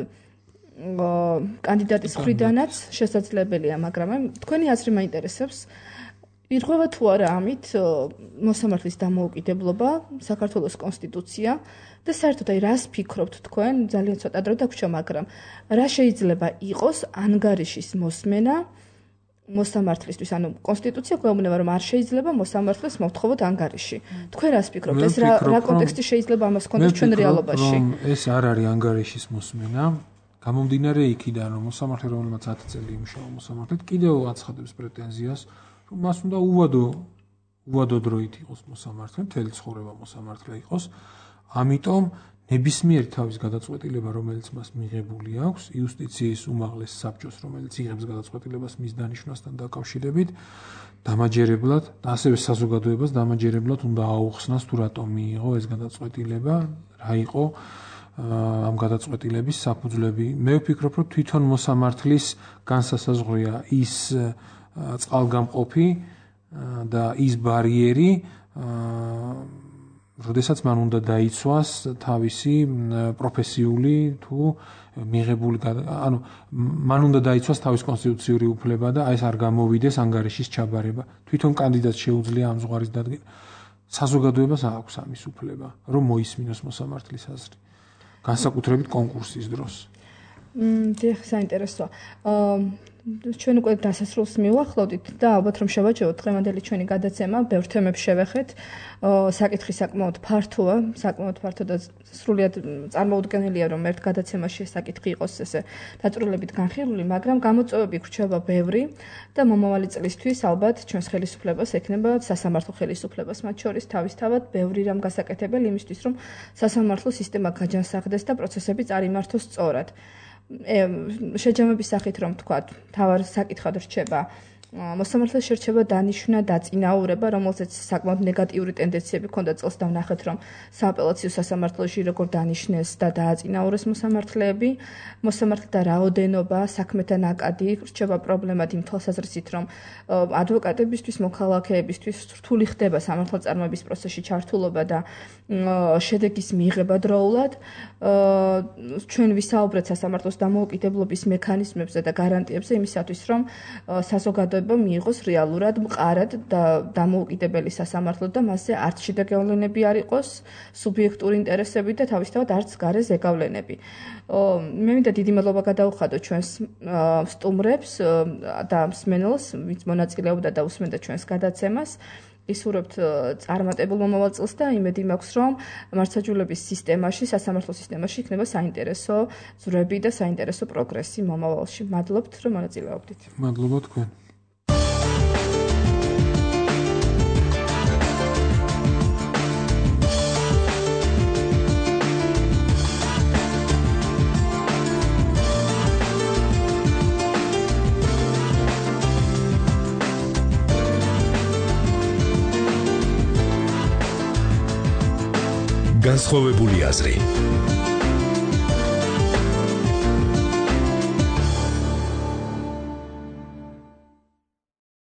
კანდიდატის მხრიდანაც შესაძლებელია, მაგრამ თქვენი აზრი მაინტერესებს. ირღვევა თუ არა ამით მოსამართლის დამოუკიდებლობა, საქართველოს კონსტიტუცია და საერთოდ აი რას ფიქრობთ თქვენ, ძალიან ცოტა დრო დაგვრჩა, მაგრამ რა შეიძლება იყოს ანგარიშის მოსმენა მოსამართლისთვის, ანუ კონსტიტუცია გვეუბნება, რომ არ შეიძლება მოსამართლეს მოვთხოვოთ ანგარიში. თქვენ რას ფიქრობთ, ეს რა რა კონტექსტი შეიძლება ამას ჰქონდეს ჩვენ რეალობაში? ეს არ არის ანგარიშის მოსმენა. გამომდინარე იქიდან, რომ მოსამართლე, რომელმაც ათი წელი იმუშავა მოსამართლედ, კიდევ აცხადებს პრეტენზიას, რომ მას უნდა უვადო უვადო დროით იყოს მოსამართლე, მთელი ცხოვრება მოსამართლე იყოს. ამიტომ ნებისმიერი თავის გადაწყვეტილება, რომელიც მას მიღებული აქვს, იუსტიციის უმაღლეს საბჭოს, რომელიც იღებს გადაწყვეტილებას მის დანიშვნასთან დაკავშირებით, დამაჯერებლად და ასევე საზოგადოებას დამაჯერებლად უნდა აუხსნას თუ რატომ მიიღო ეს გადაწყვეტილება, რა იყო ამ გადაწყვეტილების საფუძვლები. მე ვფიქრობ, რომ თვითონ მოსამართლის განსასაზღვრია ის წყალგამყოფი და ის ბარიერი, როდესაც მან უნდა დაიცვას თავისი პროფესიული თუ მიღებული, ანუ მან უნდა დაიცვას თავის კონსტიტუციური უფლება და ეს არ გამოვიდეს ანგარიშის ჩაბარება. თვითონ კანდიდატს შეუძლია ამ ზღვარის დადგენა. საზოგადოებას აქვს ამის უფლება, რომ მოისმინოს მოსამართლის აზრი. განსაკუთრებით კონკურსის დროს. მმ, საინტერესოა. ჩვენ უკვე დასასრულს მივახლოვდით და ალბათ რომ შევაჯეროთ დღევანდელი ჩვენი გადაცემა, ბევრ თემებს შევეხეთ. საკითხი საკმაოდ ფართოა, საკმაოდ ფართო და სრულიად წარმოუდგენელია, რომ ერთ გადაცემაში ეს საკითხი იყოს ესე დაწვრილებით განხილული, მაგრამ გამოწვევები გვრჩება ბევრი და მომავალი წლისთვის ალბათ ჩვენს ხელისუფლებას ექნება სასამართლო ხელისუფლებას მათ შორის თავისთავად ბევრი რამ გასაკეთებელი იმისთვის, რომ სასამართლო სისტემა გაჯანსაღდეს და პროცესები წარიმართოს სწორად. შეჯამების სახით რომ თქვათ, თავარ საკითხად რჩება მოსამართლეს შერჩება დანიშვნა დაწინაურება, რომელზეც საკმაოდ ნეგატიური ტენდენციები ჰქონდა წელს და ვნახეთ, რომ სააპელაციო სასამართლოში როგორ დანიშნეს და დააწინაურეს მოსამართლეები, მოსამართლეთა რაოდენობა, საქმეთა ნაკადი რჩება პრობლემად იმ თვალსაზრისით, რომ ადვოკატებისთვის, მოქალაქეებისთვის რთული ხდება სამართალწარმოების პროცესში ჩართულობა და შედეგის მიღება დროულად. ჩვენ ვისაუბრეთ სასამართლოს დამოუკიდებლობის მექანიზმებზე და გარანტიებზე იმისათვის, რომ საზოგადოება მიიღოს რეალურად მყარად და დამოუკიდებელი სასამართლო და მასზე არც შიდა გავლენები არ იყოს, სუბიექტური ინტერესები და თავისთავად არც გარე ზეგავლენები. მე მინდა დიდი მადლობა გადაუხადო ჩვენს სტუმრებს და მსმენელს, ვინც მონაწილეობდა და უსმენდა ჩვენს გადაცემას. ისურვებთ წარმატებულ მომავალ წელს და იმედი მაქვს, რომ მართლმსაჯულების სისტემაში, სასამართლო სისტემაში იქნება საინტერესო ზრები და საინტერესო პროგრესი მომავალში. მადლობთ, რომ მონაწილეობდით. მადლობა თქვენ. განსხვავებული აზრი.